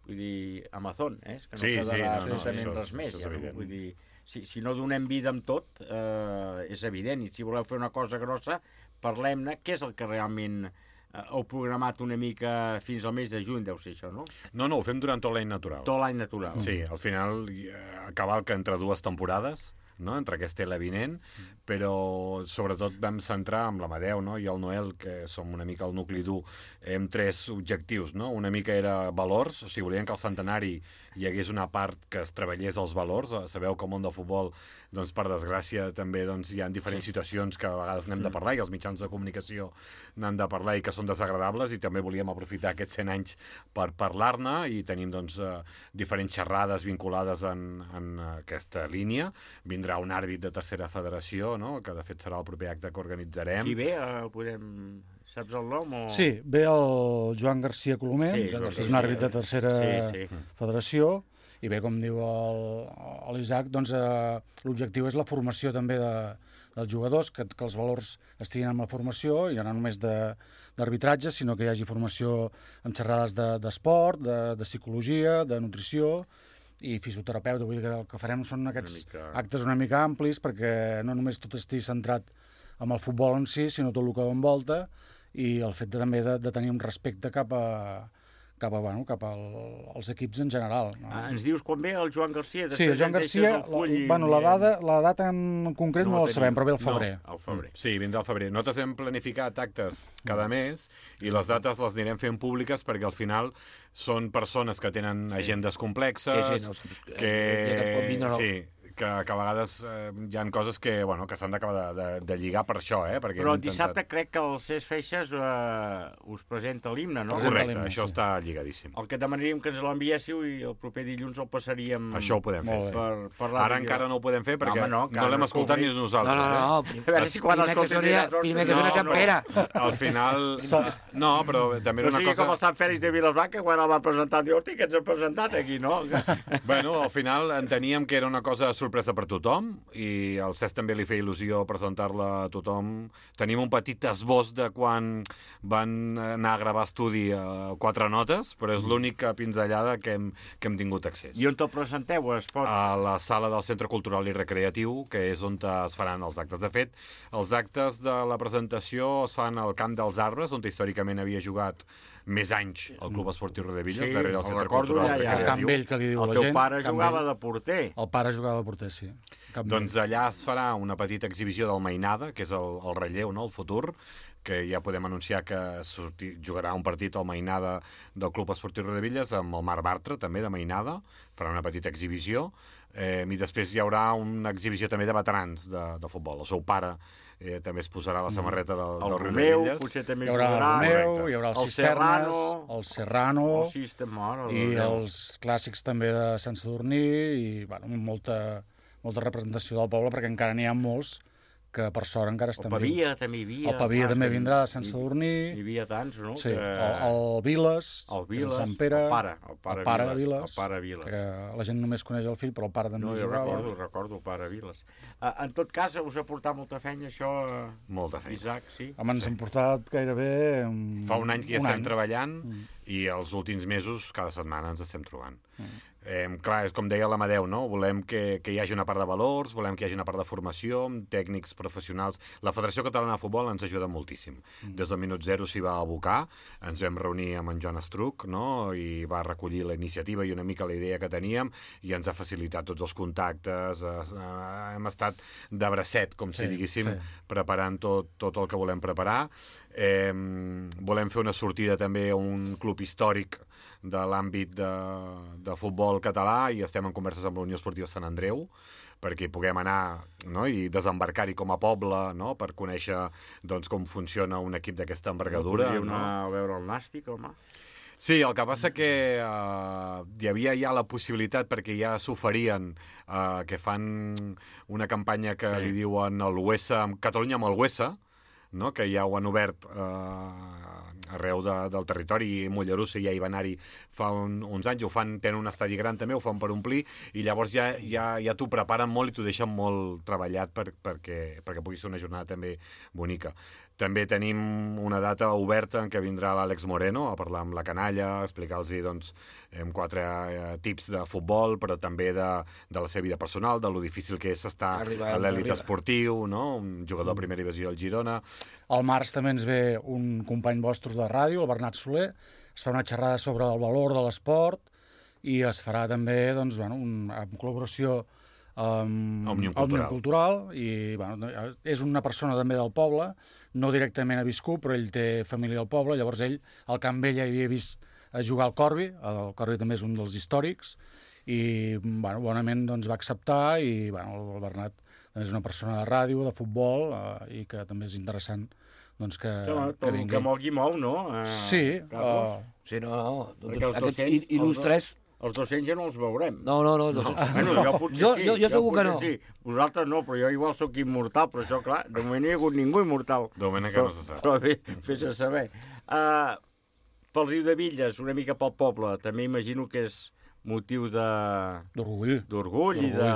Vull dir, Amazon, eh? És que no Sí, sí, quedarà no, no, absolutament això és- res més. això és Ja, no? evident. Vull dir, si, si no donem vida amb tot, eh, és evident, i si voleu fer una cosa grossa, parlem-ne, què és el que realment eh, heu programat una mica fins al mes de juny, deu ser això, no? No, no, ho fem durant tot l'any natural. Tot l'any natural. Sí, al final eh, cavalca entre dues temporades, no? Entre aquesta i la vinent, però sobretot vam centrar amb l'Amadeu, no? I el Noel, que som una mica el nucli dur, amb tres objectius, no? Una mica era valors, o sigui, volien que al centenari hi hagués una part que es treballés els valors. Sabeu que al món del futbol, doncs, per desgràcia, també doncs, hi ha diferents sí. situacions que a vegades n'hem de parlar i els mitjans de comunicació n'han de parlar i que són desagradables, i també volíem aprofitar aquests cent anys per parlar-ne, i tenim doncs, eh, diferents xerrades vinculades en, en aquesta línia. Vindrà un àrbit de tercera federació, no? Que de fet serà el proper acte que organitzarem. Qui ve? Eh, podem... Saps el nom? O... Sí, ve el Joan García Colomer, Sí, que García, és un àrbit de tercera sí, sí. federació, i bé, com diu l'Isaac, doncs, eh, l'objectiu és la formació també de, dels jugadors, que, que els valors estiguin amb la formació, i no només d'arbitratge, sinó que hi hagi formació amb xerrades d'esport, de, de, de psicologia, de nutrició i fisioterapeuta. Vull dir que el que farem són aquests Una mica... actes una mica amplis, perquè no només tot estigui centrat amb el futbol en si, sinó tot el que envolta, i el fet de, també de, de tenir un respecte cap a, cap a, bueno, cap al, als equips en general. No? Ah, ens dius quan ve el Joan Garcia? Sí, el Joan Garcia, la, bueno, la, data, la data en concret no, no la sabem, però ve al febrer. No, al febrer. Sí, vindrà al febrer. Nosaltres hem planificat actes cada mes i les dates les anirem fent públiques perquè al final són persones que tenen agendes complexes, Sí, sí, no, que... ja que pot vindre, no. Sí, que, que a vegades eh, hi ha coses que, bueno, que s'han d'acabar de, de, de lligar per això, eh? Perquè Però hem el dissabte crec que el Cesc Feixes eh, us presenta l'himne, no? Correcte, això sí. Està lligadíssim. El que demanaríem que ens l'enviéssiu i el proper dilluns el passaríem... Això ho podem fer, sí. Per, per Ara encara no ho podem fer perquè no, no l'hem escoltat ni nosaltres. No, no, no. Eh? A veure si quan escoltin diràs... Primer que sona Sant Pere. Al final... No, però també era no una sigui cosa... com el Sant Fèlix de Vilafranca, quan el va presentar, diu, hosti, que ens ha presentat aquí, no? Bueno, al final enteníem que era una cosa sorpresa sorpresa per tothom i al Cesc també li feia il·lusió presentar-la a tothom. Tenim un petit esbós de quan van anar a gravar estudi a quatre notes, però és l'única pinzellada que hem, que hem tingut accés. I on te'l presenteu? Es pot... A la sala del Centre Cultural i Recreatiu, que és on es faran els actes. De fet, els actes de la presentació es fan al Camp dels Arbres, on històricament havia jugat més anys el Club Esportiu Rodevilles, Sí, darrere el el Centre recordo Cultural ja, i ja. Recreatiu. El Camp Vell, que li diu El la teu gent. pare Camp jugava Vell. de porter. El pare jugava de porter, sí. Camp Vell. Doncs allà es farà una petita exhibició del Mainada, que és el, el relleu, no? El futur, que ja podem anunciar que sortir, jugarà un partit al Mainada del Club Esportiu Rodevilles amb el Marc Bartra, també, de Mainada, farà una petita exhibició, eh, i després hi haurà una exhibició també de veterans de, de futbol. El seu pare eh, també es posarà la samarreta del, El del Romeu, Rodevilles. potser també Hi haurà el jugarà. Romeu, Correcte. hi haurà els El Cisternes, Serrano. el Serrano, El System, mare de i Déu. els clàssics també de Sant Sadurní, i bueno, molta, molta representació del poble, perquè encara n'hi ha molts que per sort encara estan El Pavia també hi havia. El Pavia clar, també que vindrà de Sant hi- Sadurní. Hi havia tants, no? Sí, que... el, el Viles, El que és de Viles, Sant Pere, el pare, el pare, el pare Viles, Viles, el pare Viles. que la gent només coneix el fill, però el pare també No, hi jo jugava. recordo, recordo el pare Viles. Uh, en tot cas, us ha portat molta feina, això, uh, Molta feina. Isaac, sí? Home, ens hem portat gairebé... Um, Fa un any que hi estem any. treballant Mm. i els últims mesos, cada setmana, ens estem trobant. Mm. Eh, clar, és com deia l'Amadeu, no? Volem que, que hi hagi una part de valors, volem que hi hagi una part de formació, amb tècnics professionals. La Federació Catalana de Futbol ens ajuda moltíssim. Mm. Des del minut zero s'hi va abocar, ens vam reunir amb en Joan Estruc, no? I va recollir la iniciativa i una mica la idea que teníem i ens ha facilitat tots els contactes. Eh, eh, hem estat de bracet, com si Sí, diguéssim, sí. preparant tot, tot el que volem preparar. Eh, volem fer una sortida també a un club històric de l'àmbit de, de futbol català i estem en converses amb la Unió Esportiva Sant Andreu perquè hi puguem anar, no? I desembarcar-hi com a poble, no? Per conèixer doncs, com funciona un equip d'aquesta envergadura. Podríem No? anar a veure el Nàstic, home. Sí, el que passa que uh, hi havia ja la possibilitat, perquè ja s'oferien uh, que fan una campanya que Sí. li diuen el Huesa, Catalunya amb el Huesa, no? Que ja ho han obert uh, arreu de, del territori, i Mollerussa ja hi va anar-hi fa un, uns anys, ho fan, tenen un estadi gran també, ho fan per omplir, i llavors ja, ja, ja t'ho preparen molt i t'ho deixen molt treballat per, perquè, perquè pugui ser una jornada també bonica. També tenim una data oberta en què vindrà l'Àlex Moreno a parlar amb la canalla, a explicar-los doncs, amb quatre eh, tips de futbol, però també de, de la seva vida personal, de lo difícil que és estar Arribar a l'èlit arriba. esportiu, no? Un jugador de primera divisió del Girona. Al març també ens ve un company vostre de ràdio, el Bernat Soler, es fa una xerrada sobre el valor de l'esport i es farà també, doncs, bueno, un, en col·laboració amb Òmnium Òmnium Cultural. Cultural, i bueno, és una persona també del poble, no directament ha viscut, però ell té família al poble, llavors ell al Camp Vell ja havia vist a jugar al Corbi, el Corbi també és un dels històrics, i bueno, bonament doncs, va acceptar, i bueno, el Bernat també és una persona de ràdio, de futbol, eh, i que també és interessant doncs, que, Que, que que, vingui. que mogui mou, no? Uh, Sí, Carlos? uh, Sí, no, no. Perquè els Aquests dos-cents- il- il·lustres... Els dos-cents ja no els veurem. No, no, no. Els No. dos-cents... Bueno, jo potser jo, sí. jo, jo segur que potser no. Sí. Vosaltres no, però jo igual sóc immortal, però això, clar, de moment no hi ha hagut ningú immortal. De moment encara no se sap. Però bé, fes a saber. Uh, pel riu de Villes, una mica pel poble, també imagino que és motiu de... D'orgull. D'orgull i de...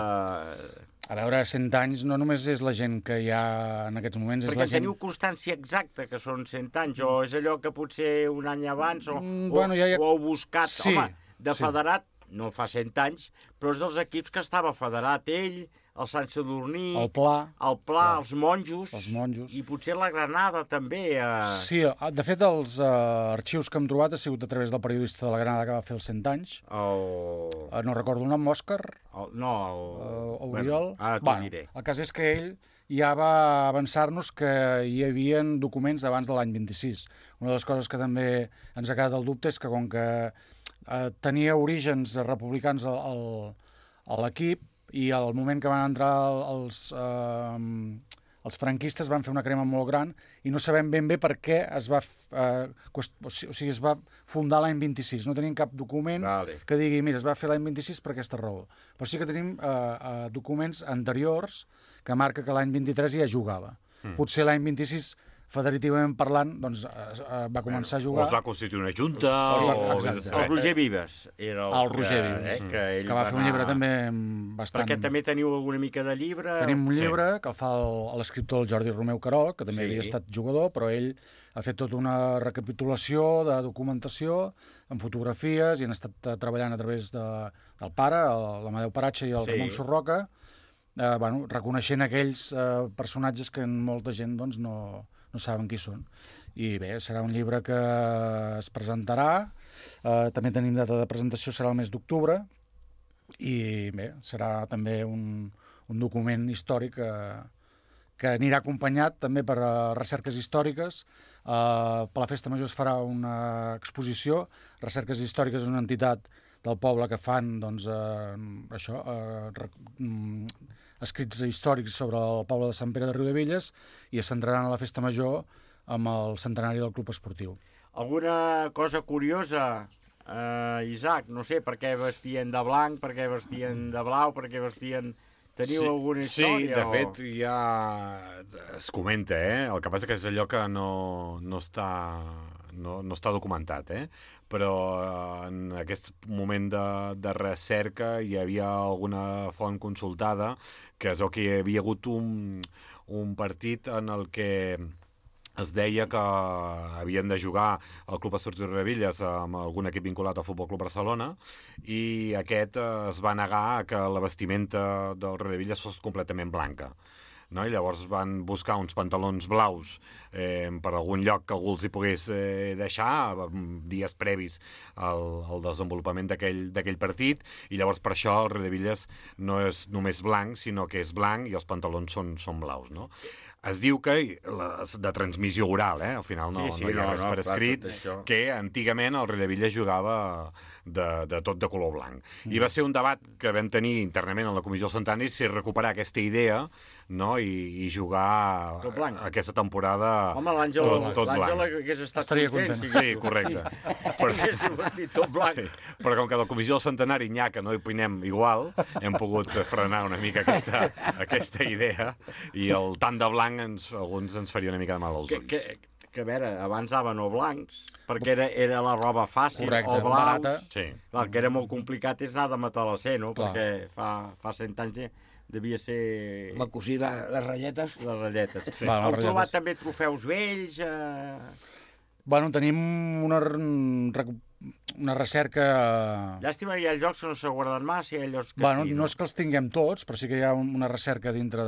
A veure, cent anys no només és la gent que hi ha en aquests moments, és Perquè la gent... teniu constància exacta que són cent anys, o és allò que potser un any abans, o, Mm, o, bueno, ja hi ha- o heu buscat... Sí, Home, de sí. federat, no fa cent anys, però és dels equips que estava federat ell, el Sant Sadurní... El Pla. El Pla, els monjos... Els monjos. I potser la Granada, també. Eh... Sí, de fet, els uh, arxius que hem trobat ha sigut a través del periodista de la Granada que va fer els cent anys. El... Uh, no recordo el nom, Òscar. El... No, el... Uh, Oriol. Bueno, ara t'ho bueno, diré. el cas és que ell ja va avançar-nos que hi havia documents abans de l'any vint-i-sis. Una de les coses que també ens ha quedat el dubte és que com que uh, tenia orígens republicans al, al, a l'equip, i al moment que van entrar els, eh, els franquistes van fer una crema molt gran i no sabem ben bé per què es va, eh, qüest... o sigui, es va fundar l'any vint-i-sis. No tenim cap document vale. que digui, mira, es va fer l'any vint-i-sis per aquesta raó. Però sí que tenim eh, eh, documents anteriors que marca que l'any vint-i-tres ja jugava. Mm. Potser l'any vint-i-sis federativament parlant, doncs, va començar a jugar... O es va constituir una junta... O, o... exacte. El Roger Vives era el, el Roger que, Vives, eh, que, ell que va fer un llibre també bastant... Perquè també teniu alguna mica de llibre... Tenim un llibre sí. que el fa l'escriptor Jordi Romeu Carol, que també sí. havia estat jugador, però ell ha fet tota una recapitulació de documentació amb fotografies i han estat treballant a través de, del pare, l'Amadeu Paratge i el sí. Ramon Sorroca, eh, bueno, reconeixent aquells eh, personatges que molta gent doncs, no, no saben qui són. I bé, serà un llibre que es presentarà, eh, també tenim data de presentació, serà el mes d'octubre, i bé, serà també un, un document històric que, que anirà acompanyat també per uh, recerques històriques. Uh, per la Festa Major es farà una exposició. Recerques Històriques és una entitat del poble que fan doncs, uh, això, uh, rec um, escrits històrics sobre el poble de Sant Pere de Riudebitlles i es centraran a la Festa Major amb el centenari del Club Esportiu. Alguna cosa curiosa, uh, Isaac? No sé, per què vestien de blanc, per què vestien de blau, per què vestien... Teniu sí, alguna història? Sí, de o... fet, ja es comenta, eh? El que passa que és allò que no, no, està, no, no està documentat, eh? Però en aquest moment de, de recerca hi havia alguna font consultada que és el que hi havia hagut un, un partit en el que es deia que havien de jugar al Club Esportiu Riudebitlles amb algun equip vinculat al Futbol Club Barcelona i aquest es va negar que la vestimenta del Riudebitlles fos completament blanca. No? I llavors van buscar uns pantalons blaus eh, per algun lloc que algú els hi pogués eh, deixar dies previs al, al desenvolupament d'aquell partit i llavors per això el Riudebitlles no és només blanc, sinó que és blanc i els pantalons són, són blaus, no? Es diu que, la, de transmissió oral, eh? Al final no, sí, sí, no hi ha no, res no, per escrit, clar, que antigament el Riudebitlles jugava de, de tot de color blanc. Mm. I va ser un debat que vam tenir internament en la Comissió del Centenari si recuperar aquesta idea, no? I, i jugar aquesta temporada Home, l'Àngel tot, tot blanc. L'Àngel hagués estat Estaria content. content. Sí, correcte. Però hagués vestit tot blanc. Sí. Però com que a la Comissió del Centenari n'hi ha que no hi opinem igual, hem pogut frenar una mica aquesta, aquesta idea i el tant de blanc ens, alguns ens faria una mica de mal als ulls. Que, que, que a veure, abans anaven o blancs, perquè era, era la roba fàcil, correcte, o blaus. barata. Sí. El que era molt complicat és anar de matalasser, no? Clar. Perquè fa, fa cent anys devia ser... Va cosir la, les ratlletes. Les ratlletes. Sí. Va, Heu les trobat ratlletes. també trofeus vells? Eh... Bueno, tenim una, una recerca... Llàstima, hi ha llocs que no s'ha guardat massa, hi ha llocs que Bueno, sí. no és que els tinguem tots, però sí que hi ha una recerca dintre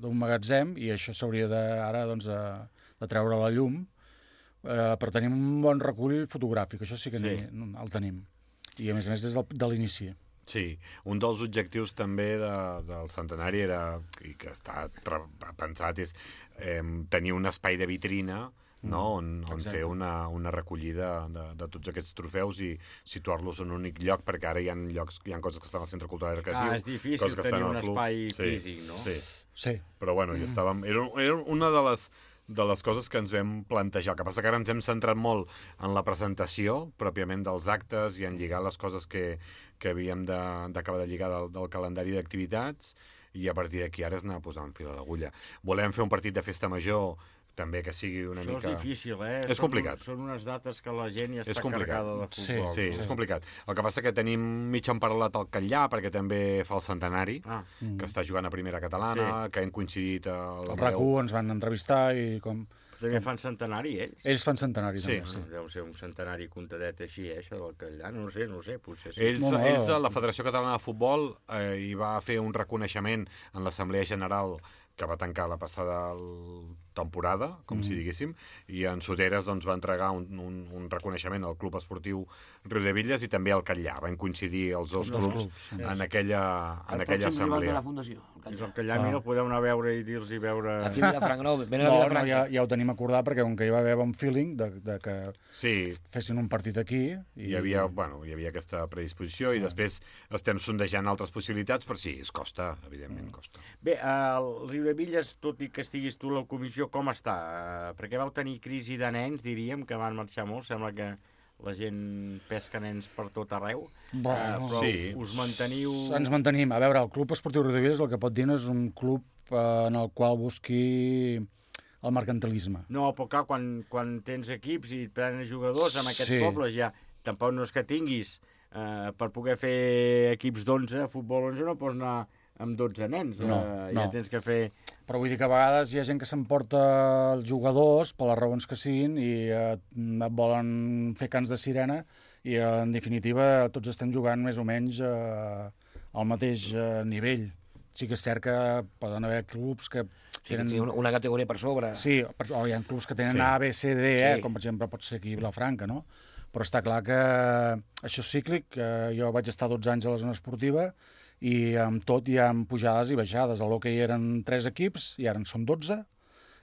d'un magatzem i això s'hauria de, ara doncs, de, de treure a la llum. Eh, però tenim un bon recull fotogràfic, això sí que Sí. Ni, el tenim. I a més a més des del, de l'inici. Sí, un dels objectius també de, del centenari era, i que està pensat, és eh, tenir un espai de vitrina, no? on, on fer una, una recollida de, de tots aquests trofeus i situar-los en un únic lloc, perquè ara hi ha llocs, hi ha coses que estan al Centre Cultural i Recreatiu, Ah, és difícil coses que tenir estan un al club. espai Sí, físic, no? Sí. Sí. Però bueno, hi estàvem... Era, era una de les de les coses que ens vam plantejar. El que passa que ara ens hem centrat molt en la presentació, pròpiament dels actes, i en lligar les coses que, que havíem d'acabar de, de lligar del, del calendari d'activitats, i a partir d'aquí ara és anar posant fil a l'agulla. Volem fer un partit de festa major, també que sigui una Això mica... és difícil, eh? És són, complicat. Són unes dates que la gent ja És està complicat. carregada de futbol. Sí, sí, és complicat. El que passa que tenim mig emparelat al Catllà, perquè també fa el centenari, Ah. que està jugant a primera catalana, Sí. que hem coincidit a la El RAC u ens van entrevistar i com... També fan centenari, ells? Ells fan centenari, Sí. també, sí. Deu ser un centenari contadet així, eh, això del Catllà. No sé, no sé, potser sí. Ells, No, no. ells a la Federació Catalana de Futbol eh, hi va fer un reconeixement en l'Assemblea General que va tancar la passada temporada, com mm. si diguéssim, i en Soteres doncs, va entregar un, un, un reconeixement al Club Esportiu Riudebitlles i també al Catllà. Van coincidir els dos Els clubs, clubs, sí. en aquella, en El aquella pròxim rival de assemblea. la Fundació. És el Catllà, mira, el podeu anar a veure i dir-los i veure... Aquí a Vilafranca, no, venen a No, no, Vilafranca. ja, ja ho tenim acordat, perquè com que hi va haver bon feeling de, de que Sí, fessin un partit aquí... hi havia, bueno, hi havia aquesta predisposició i després estem sondejant altres possibilitats, però sí, es costa, evidentment, costa. Bé, el Riudebitlles, tot i que estiguis tu a la comissió, com està? Eh, perquè vau tenir crisi de nens, diríem, que van marxar molt. Sembla que la gent pesca nens per tot arreu. Bueno, eh, però sí. us manteniu... Ens mantenim. A veure, el Club Esportiu Riudebitlles el que pot dir no és un club eh, en el qual busqui el mercantilisme. No, però clar, quan, quan tens equips i et prenen jugadors en aquests Sí. pobles ja, tampoc no és que tinguis eh, per poder fer equips d'onze, futbol onze no pots anar amb dotze nens, No, eh, no. ja tens que fer... Però vull dir que a vegades hi ha gent que s'emporta els jugadors per les raons que siguin i eh, et volen fer cants de sirena i eh, en definitiva tots estem jugant més o menys eh, al mateix eh, nivell. Sí que és cert que poden haver clubs que Sí, tenen... sí, una, una categoria per sobre. Sí, per- o hi ha clubs que tenen Sí. A, B, C, D, E, Sí. com per exemple pot ser aquí a Vilafranca, no? Però està clar que això és cíclic, que jo vaig estar dotze anys a la zona esportiva i amb tot hi ha pujades i baixades. A l'hoquei eren tres equips i ara en són dotze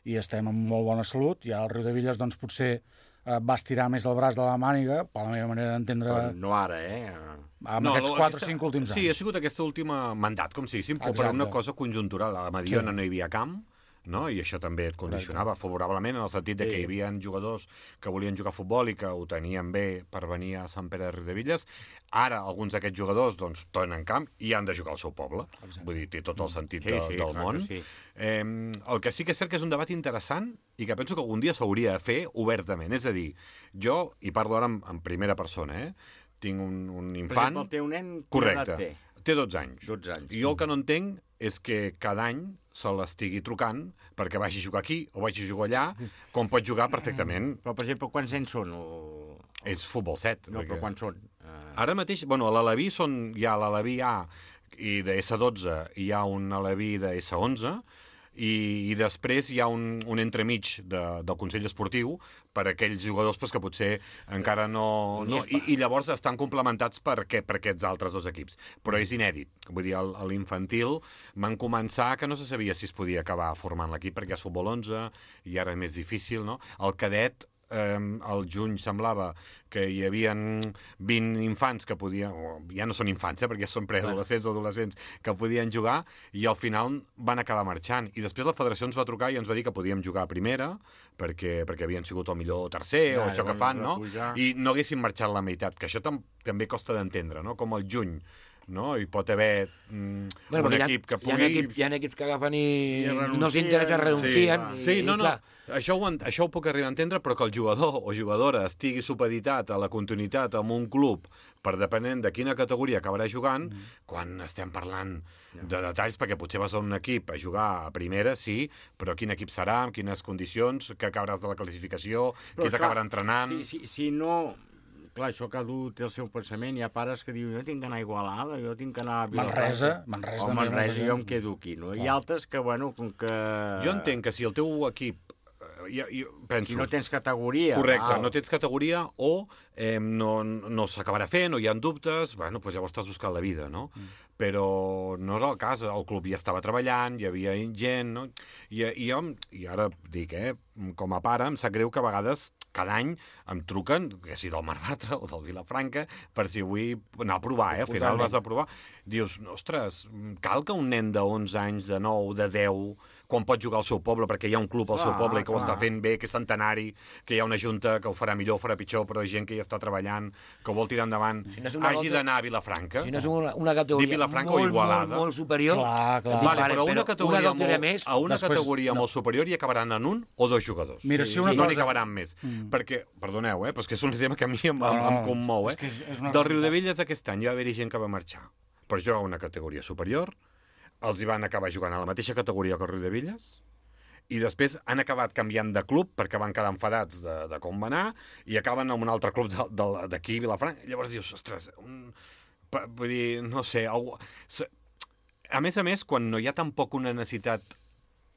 i estem en molt bona salut. I ara el Riudebitlles doncs, potser eh, va estirar més el braç de la màniga, per la meva manera d'entendre... Però no ara, eh? Amb aquests quatre o cinc últims Sí, anys. ha sigut aquesta última mandat, com si diguéssim, però per Exacte. una cosa conjuntural. A Mediona Sí. no hi havia camp, no? I això també et condicionava favorablement en el sentit de que Sí. hi havia jugadors que volien jugar a futbol i que ho tenien bé per venir a Sant Pere de Riudebitlles. Ara alguns d'aquests jugadors doncs, tornen camp i han de jugar al seu poble. Exacte. Vull dir, té tot el sentit Sí, de, sí, del clar món. que sí. Eh, el que sí que és cert que és un debat interessant i que penso que algun dia s'hauria de fer obertament. És a dir, jo, i parlo ara en, en primera persona, eh? Tinc un, un Per infant... exemple, el teu nen, quina Correcte. edat té? Té dotze anys. dotze anys. I jo el que no entenc és que cada any se l'estigui trucant perquè vagi a jugar aquí o vagi a jugar allà, com pot jugar perfectament. Però, per exemple, quants anys són? O... És futbol set. No, però quants són? Uh... Ara mateix, bueno, a l'Aleví són, hi ha l'Aleví A i de essa dotze hi ha un Aleví de essa onze i, i després hi ha un, un entremig de, del Consell Esportiu per a aquells jugadors pues, que potser encara no... no i, I llavors estan complementats per, què, per aquests altres dos equips. Però és inèdit. Vull dir, a l'infantil van començar que no se sabia si es podia acabar formant l'equip perquè és futbol onze i ara és més difícil, no? El cadet eh, al juny semblava que hi havia vint infants que podien, o ja no són infants, eh, perquè ja són preadolescents o adolescents, que podien jugar, i al final van acabar marxant. I després la federació ens va trucar i ens va dir que podíem jugar a primera, perquè, perquè havien sigut el millor tercer, Ja, o això que llavors fan, va no? pujar. I no haguessin marxat la meitat, que això tam també costa d'entendre, no? Com al juny, no? Hi pot haver mm, Bueno, un perquè equip que hi ha, pugui... hi, ha equip, hi ha equips que agafen i, I renuncien. no s'interessa, renuncien. Sí, i, sí no, i, no, clar, això ho, en- això ho puc arribar a entendre, però que el jugador o jugadora estigui supeditat a la continuïtat en un club per depenent de quina categoria acabarà jugant, mm. quan estem parlant de detalls, perquè potser vas a un equip a jugar a primera, sí, però quin equip serà, amb quines condicions, que acabaràs de la classificació, Però, qui t'acabarà clar, entrenant... Si, si, si no... Clar, això cada un té el seu pensament. Hi ha pares que diuen, jo tinc que anar a Igualada, jo tinc que anar a Vilafranca. Manresa, Manresa O també, Manresa, molta jo em gent. quedo aquí, no? Hi Clar. ha altres que, bueno, com que... Jo entenc que si el teu equip... eh, Jo, jo penso... Si no tens categoria... Correcte, val. no tens categoria o eh, no, no s'acabarà fent o hi ha dubtes, bueno, doncs llavors t'has buscat la vida, no? Mm. Però no és el cas, el club ja estava treballant, hi havia gent, no? I, i jo, i ara dic, eh, com a pare, em sap greu que a vegades cada any em truquen, que sigui del Mar Bartra o del Vilafranca, per si vull anar a provar, eh? Al final Totalment. vas a provar. Dius, ostres, cal que un nen de onze anys, de nou, de deu, quan pot jugar al seu poble, perquè hi ha un club al Clar, seu poble i que ho clar. està fent bé, que és centenari, que hi ha una junta que ho farà millor o farà pitjor, però hi ha gent que hi està treballant, que ho vol tirar endavant, Si no és una hagi volta- d'anar a Vilafranca. si no és una, una categoria Dir Vilafranca molt, o Igualada. molt, molt superior, Clar, clar. Vale, vale, però una categoria, una categoria molt, més, a una després- categoria no. molt superior hi acabaran en un o dos jugadors. Mira, si una no cosa- n'hi acabaran més. Mm. Perquè, perdoneu, eh, però és que és un tema que a mi em, No, em, no, em commou. Eh? és que és- és una Del realitat. Riudebitlles aquest any ja va haver-hi gent que va marxar per jugar a una categoria superior, els hi van acabar jugant a la mateixa categoria que el Riudebitlles, i després han acabat canviant de club perquè van quedar enfadats de, de com va anar i acaben en un altre club de- de- d'aquí, Vilafranca. Llavors dius, ostres, un, pa- vull dir, no sé, algú... se- a més a més, quan no hi ha tampoc una necessitat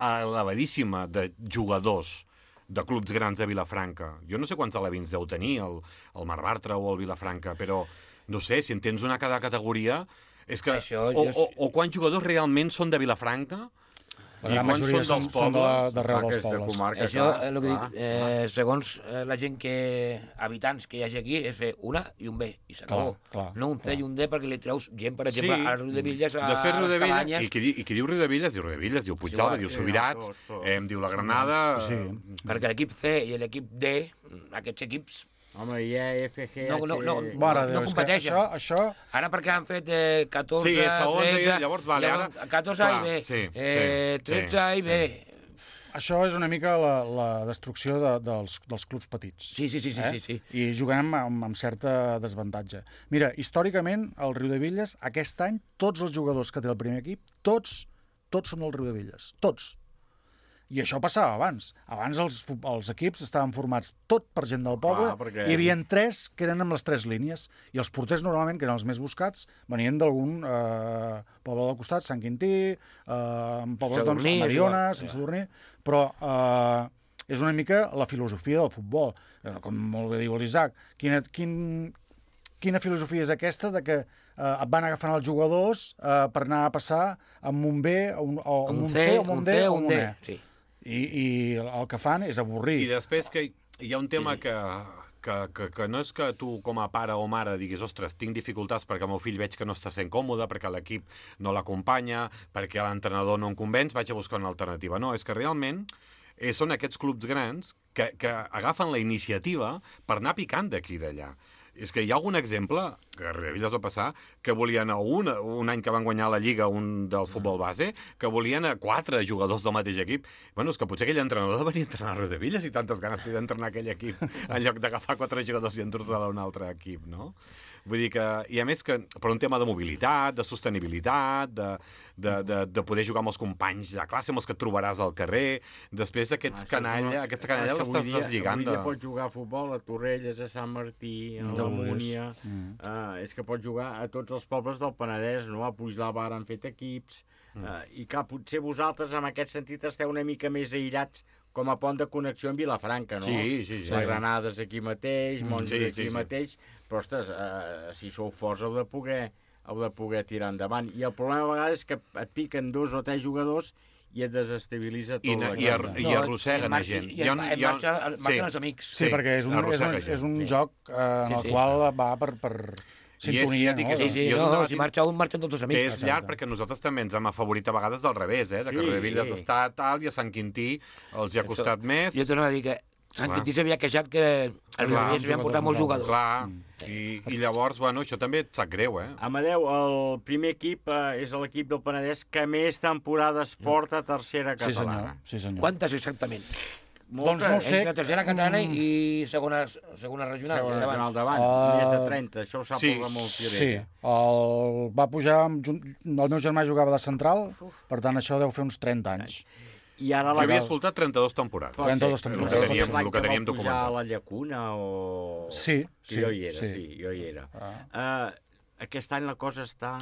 elevadíssima de jugadors de clubs grans de Vilafranca, jo no sé quants alevins deu tenir el, el Mar Bartra o el Vilafranca, però no sé, si en tens una a cada categoria, és que... Això, o, jo- o, o quants jugadors realment són de Vilafranca La i gran quants majoria són són, dels són de, pobles? d'arreu dels Aquesta pobles. comarca, Això, clar, eh, el que clar, dic, eh, segons eh, la gent que... habitants que hi hagi aquí, és fer una i un B, i s'acabó. Clar, clar, No un C i un D, perquè li treus gent, per exemple, Sí. a Riudebitlles, a Després les Riudebitlles, Cabanyes... i qui, di- i qui diu Riudebitlles, diu Riudebitlles, diu Puigdàlber, Sí, diu sí, Subirats, tot, tot. eh, em diu la Granada... Sí. Perquè l'equip C i l'equip D, aquests equips, Home, hi ha F G... no, no, no, Mare no de Déu, és que competeixen. això, això... Ara perquè han fet eh, catorze, Sí, segons, tretze... llavors, vale, ara- catorze A i clar, B, sí, eh, sí, tretze A i sí, B... això és una mica la, la destrucció de, dels, dels clubs petits. Sí, sí, sí, sí, eh? sí, sí. I juguem amb, amb, amb certa desavantatge. Mira, històricament, el Riudebitlles, aquest any, tots els jugadors que té el primer equip, tots, tots són del Riudebitlles. Tots. I això passava abans. Abans els, els equips estaven formats tot per gent del poble, Clar, perquè... hi havia tres que eren amb les tres línies, i els porters normalment, que eren els més buscats, venien d'algun eh, poble del costat, Sant Quintí, eh, pobles doncs, Mariona, Sant Sadurní, però eh, és una mica la filosofia del futbol. Eh, com molt bé diu l'Isaac, quina, quin, quina filosofia és aquesta de que eh, et van agafant els jugadors eh, per anar a passar amb un B, un, o Un un C, C, o un D, o un D, E. sí. I, I el que fan és avorrir. I després que hi ha un tema sí, sí. que... Que, que, que no és que tu com a pare o mare diguis ostres, tinc dificultats perquè el meu fill veig que no està sent còmode, perquè l'equip no l'acompanya, perquè l'entrenador no em convenç, vaig a buscar una alternativa. No, és que realment eh, són aquests clubs grans que, que agafen la iniciativa per anar picant d'aquí i d'allà. És que hi ha algun exemple, que a Riudebitlles va passar, que volien a un, un any que van guanyar la Lliga un del futbol base, que volien a quatre jugadors del mateix equip. Bueno, és que potser aquell entrenador venia a entrenar a Riudebitlles i tantes ganes té d'entrenar aquell equip en lloc d'agafar quatre jugadors i endur-se-la a un altre equip, no? Vull dir que, i a més que per un tema de mobilitat, de sostenibilitat, de, de, de, de poder jugar amb els companys de classe, amb els que et trobaràs al carrer, després aquests Ah, canalla, no, aquesta canalla és que l'estàs avui dia- deslligant. Avui dia De... pots jugar a futbol a Torrelles, a Sant Martí, a Mm. la Múnia... Mm. Uh, és que pots jugar a tots els pobles del Penedès, no? A Puigdàlber han fet equips... Mm. Uh, I que potser vosaltres, en aquest sentit, esteu una mica més aïllats com a pont de connexió amb Vilafranca, no? Sí, sí, sí. La Granada és aquí mateix, Mm, Montjuïc sí, aquí sí, sí. mateix, però, ostres, uh, si sou forts heu de poder heu de poder tirar endavant. I el problema a vegades és que et piquen dos o tres jugadors i et desestabilitza tot. I, na- i, ar, i arrosseguen a gent. I, i, i, i marxa, marxen els amics. Sí, perquè és un, és un, arrossega és un gent. joc eh, en Sí, el sí. qual va per, per sintonia, ja dic no? que Sí, sí, I és un no, debat si marxa un, marxen tots els amics. Que és llarg perquè nosaltres també ens hem afavorit a vegades del revés, eh? De que Sí. Riudebitlles està tal i a Sant Quintí els hi ha costat més. Jo torno a dir que Sant Clar. Quintí s'havia queixat que el Riudebitlles havien portat molts jugadors. Clar, i, i llavors, bueno, això també et sap greu, eh? Amadeu, el primer equip eh, és l'equip del Penedès que més temporades porta a tercera Sí, senyor. catalana. Sí, senyor. Quantes exactament? Doncs no ho sé. Entre tercera catalana Mm. i segona, segona regional. Segona davant. regional davant, Uh, més de trenta, això ho sap sí, el Ramon Fiorella. Sí, el, va pujar... Amb, jun- el meu germà jugava de central, per tant això deu fer uns trenta anys. I ara Jo la... havia escoltat trenta-dos temporades. Pot ser. trenta-dos El temporades. que Potser teníem, és l'any el que teníem va pujar a documentat. la Llacuna o... Sí, Que sí, jo hi era, sí, sí. jo hi era. Ah. Uh, aquest any la cosa està...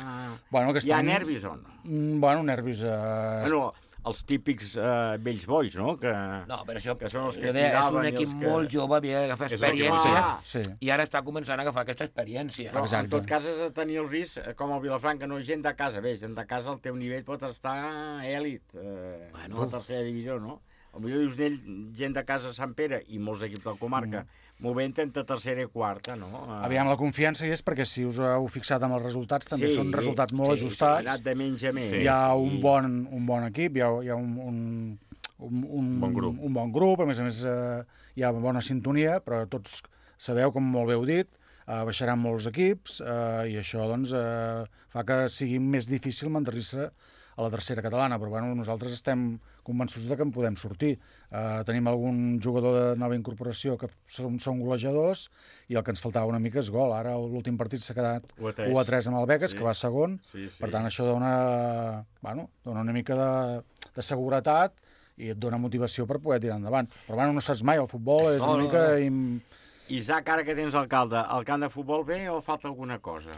Bueno, aquest Hi ha any- nervis o no? Mm, Bueno, nervis... Eh, Bueno, els típics uh, vells bois, no? Que... No, però això que són els que jo deia, és tiraven un i equip els que... molt jove, havia d'agafar És el que experiència, va ser. Sí. i ara està començant a agafar aquesta experiència. Però, en Exacte. tot cas, has de tenir el risc, eh, com el Vilafranca, no gent de casa. Bé, gent de casa, el teu nivell pot estar èlit, eh, Bueno. bueno. la tercera divisió, no? Potser dius d'ell, gent de casa a Sant Pere i molts equips de la comarca, mm. movent entre tercera i quarta, no? Eh, Aviam, la confiança hi és perquè si us heu fixat amb els resultats també Sí, són resultats molt sí, ajustats. Sí, ha anat de menys a més. Hi ha un bon, un bon equip, hi ha, hi ha un, un, un, un, Bon grup. un bon grup, a més a més eh, hi ha bona sintonia, però tots sabeu, com molt bé heu dit, eh, baixaran molts equips eh, i això doncs, eh, fa que sigui més difícil mantenir-se a la tercera catalana, però bueno, nosaltres estem convençuts de que en podem sortir. Eh, tenim algun jugador de nova incorporació que són, són golejadors i el que ens faltava una mica és gol. Ara l'últim partit s'ha quedat u a tres. u a tres amb el Beques, Sí. que va segon. Sí, sí. Per tant, això dona, bueno, dona una mica de, de seguretat i et dona motivació per poder tirar endavant. Però bueno, no saps mai, el futbol és No, una no, mica... no. Im... Isaac, ara que tens alcalde, el camp de futbol bé o falta alguna cosa?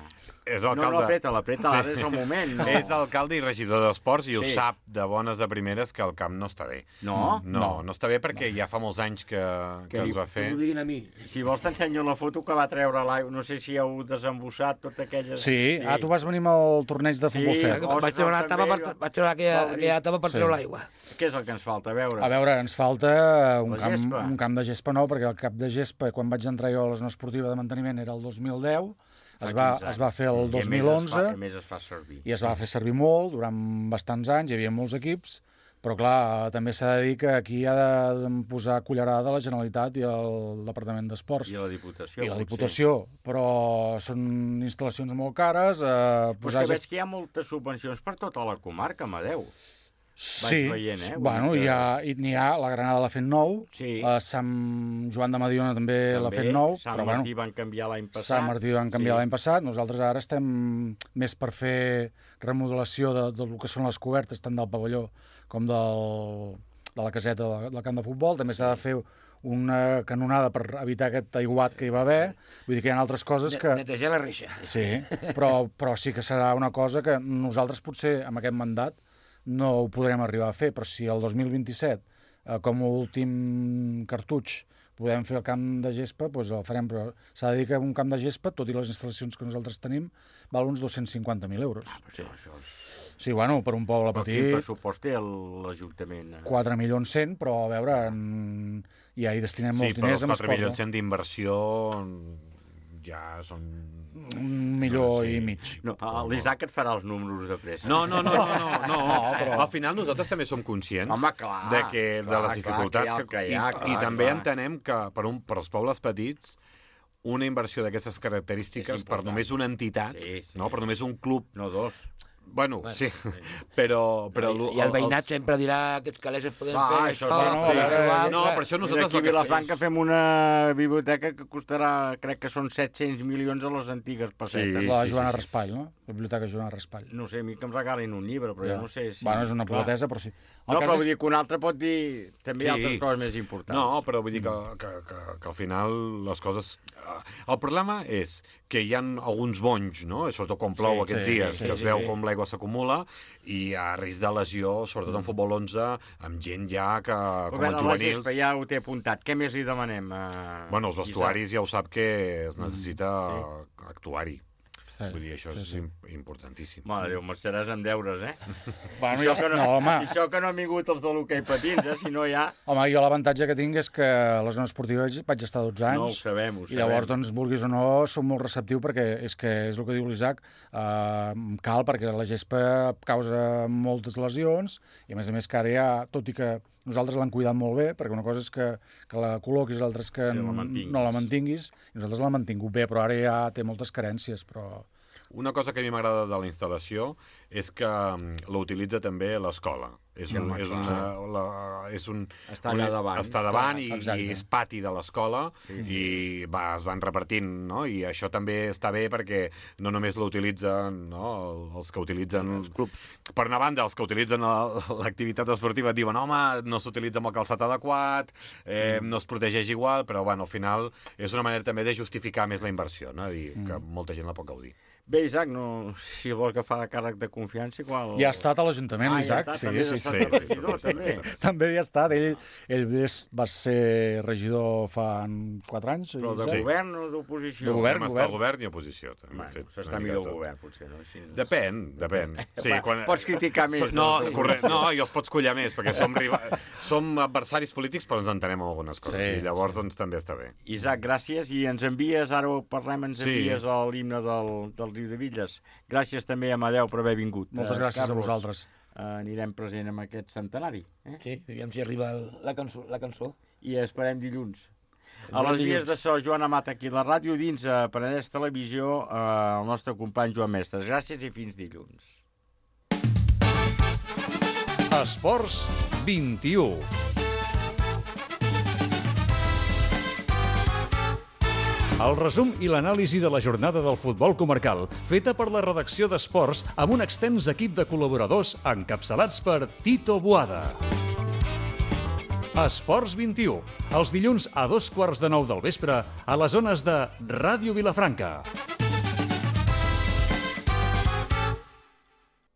És No, alcalde... no, apreta, l'apreta, ara és el moment. No? És alcalde i regidor d'esports i ho Sí. sap de bones a primeres que el camp no està bé. No? No, no, no està bé perquè ja fa molts anys que, que es va fer. Que m'ho diguin a mi. Si vols t'ensenyo la foto que va treure l'aigua. No sé si heu desembossat tot aquelles... Sí, ah, tu vas venir amb el torneig de futbol Sí, set. Ostres, Vaig treure la tapa per, també, vaig treure aquella, Fabri. aquella tapa per Sí. treure l'aigua. Què és el que ens falta? A veure. A veure, ens falta un La camp, gespa. un camp de gespa nou, perquè el camp de gespa, quan vaig entrar jo a l'Esno Esportiva de Manteniment, era el dos mil deu, es va, quinze es va fer el I a dos més mil es onze, fa- a més es fa servir. i es va fer servir molt, durant bastants anys, hi havia molts equips, però clar, també s'ha de dir que aquí ha de de posar cullerada la Generalitat i el Departament d'Esports. I la Diputació. I la potser. Diputació, però són instal·lacions molt cares, eh, Però és posar... que veig gest- que hi ha moltes subvencions per tota la comarca, Amadeu. Sí, vaig veient, eh? bueno, que... hi ha, n'hi ha, la Granada l'ha fet nou, sí. a Sant Joan de Mediona també, també l'ha fet nou, Sant però Martí bueno, van canviar l'any passat. Sant Martí van canviar sí. l'any passat, nosaltres ara estem més per fer remodelació de, del que són les cobertes, tant del pavelló com del, de la caseta del, del camp de futbol, també s'ha de fer una canonada per evitar aquest aiguat que hi va haver, vull dir que hi ha altres coses que... Netejar la reixa. Sí, però, però sí que serà una cosa que nosaltres potser amb aquest mandat no ho podrem arribar a fer, però si el dos mil vint-i-set, eh, com a últim cartutx, podem fer el camp de gespa, doncs el farem, però s'ha de dir que un camp de gespa, tot i les instal·lacions que nosaltres tenim, val uns dos-cents cinquanta mil euros. Ah, però això és... Sí, bueno, per un poble però petit... Quin pressupost té l'Ajuntament? quatre milions cent, però a veure, en... ja hi destinem molts sí, diners. Sí, però els quatre milions cent d'inversió ja són... Un milió sí. i mig. No, l'Isaac et farà els números de pressa. No, no, no, no, no, no. no però... Al final nosaltres també som conscients Home, clar, de, que, clar, de les dificultats clar, que hi ha, que hi ha, i, clar, i també clar. entenem que per, un, per als pobles petits una inversió d'aquestes característiques per només una entitat, sí, sí. no, per només un club... No, dos. Bueno, bueno sí, però... però I, I el veïnat els... sempre dirà que aquests calés es poden Va, fer... Això, no, no, sí. no, no, per això nosaltres... Aquí a Vilafranca fem una biblioteca que costarà, crec que són set-cents milions a les antigues pessetes. Sí, la Joana sí, sí. Raspall, no? La biblioteca Joana Raspall. No sé, a mi que em regalin un llibre, però ja. jo no sé si... Bueno, és una pilotesa, però sí. El no, però és... vull dir que un altre pot dir també sí. altres coses més importants. No, però vull dir que, que, que, que al final les coses... El problema és que hi ha alguns bonys, no? Sobretot quan plou sí, aquests sí, dies, sí, que es sí, veu sí. com l'aigua s'acumula, i hi ha risc de lesió, sobretot en futbol onze, amb gent ja que, com veure, els juvenils... Gespa, ja ho té apuntat. Què més li demanem? A... Bueno, els vestuaris ja ho sap que es necessita sí. actuar-hi. Sí. Vull dir, això sí, sí. és importantíssim. Mare Déu, marxaràs amb deures, eh? Bueno, això, jo... que no, no, home. això que no han vingut els de l'hoquei patins, eh? Si no ja... Home, jo l'avantatge que tinc és que a la zona esportiva vaig estar dotze anys. No, ho sabem, ho sabem. I llavors, doncs, vulguis o no, som molt receptiu perquè és que és el que diu l'Isaac, eh, cal perquè la gespa causa moltes lesions i, a més a més, que ara ja, tot i que nosaltres l'han cuidat molt bé, perquè una cosa és que, que la col·loquis, l'altra és que sí, la no la mantinguis, i nosaltres l'hem mantingut bé, però ara ja té moltes carències, però... Una cosa que a mi m'agrada de la instal·lació és que l'utilitza també l'escola. És un, és una, la, és un, està allà davant, està davant i, Exacte. i és pati de l'escola sí, sí. i va, es van repartint, no? I això també està bé perquè no només l'utilitzen no? els que utilitzen els clubs. Per una banda, els que utilitzen l'activitat esportiva diuen home, no s'utilitza amb el calçat adequat, eh, mm. no es protegeix igual, però bueno, al final és una manera també de justificar més la inversió, no? Dir mm. que molta gent la pot gaudir. Bé, Isaac, no, si vol que fa càrrec de confiança, igual... Ja ha estat a l'Ajuntament, ah, l'Isaac. Ja sí, també sí, sí, sí. regidor, també. També hi ha estat. Ell, ell va ser regidor fa quatre anys. Però de sí. govern o d'oposició? De govern, govern. Estar govern i oposició. Bueno, s'està millor el govern, potser, no? Així... Depèn, depèn. Sí, quan... Pots criticar més. No, correcte, no, i els pots collar més, perquè som, riba... som adversaris polítics, però ens entenem en algunes coses. Sí, i llavors, sí. doncs, també està bé. Isaac, gràcies. I ens envies, ara ho parlem, ens envies sí. l'himne del, del Riu de Villes. Gràcies també a Amadeu per haver vingut. Moltes gràcies Carlos, a vosaltres. Uh, anirem present amb aquest centenari. Eh? Sí, aviam si arriba el, la, cançó, la cançó. I esperem dilluns. A les vies de so, Joan Amat aquí a la ràdio, dins a Penedès Televisió, uh, el nostre company Joan Mestres. Gràcies i fins dilluns. Esports vint-i-u. El resum i l'anàlisi de la jornada del futbol comarcal, feta per la redacció d'Esports amb un extens equip de col·laboradors encapçalats per Tito Boada. Esports vint-i-u, els dilluns a dos quarts de nou del vespre a les zones de Ràdio Vilafranca.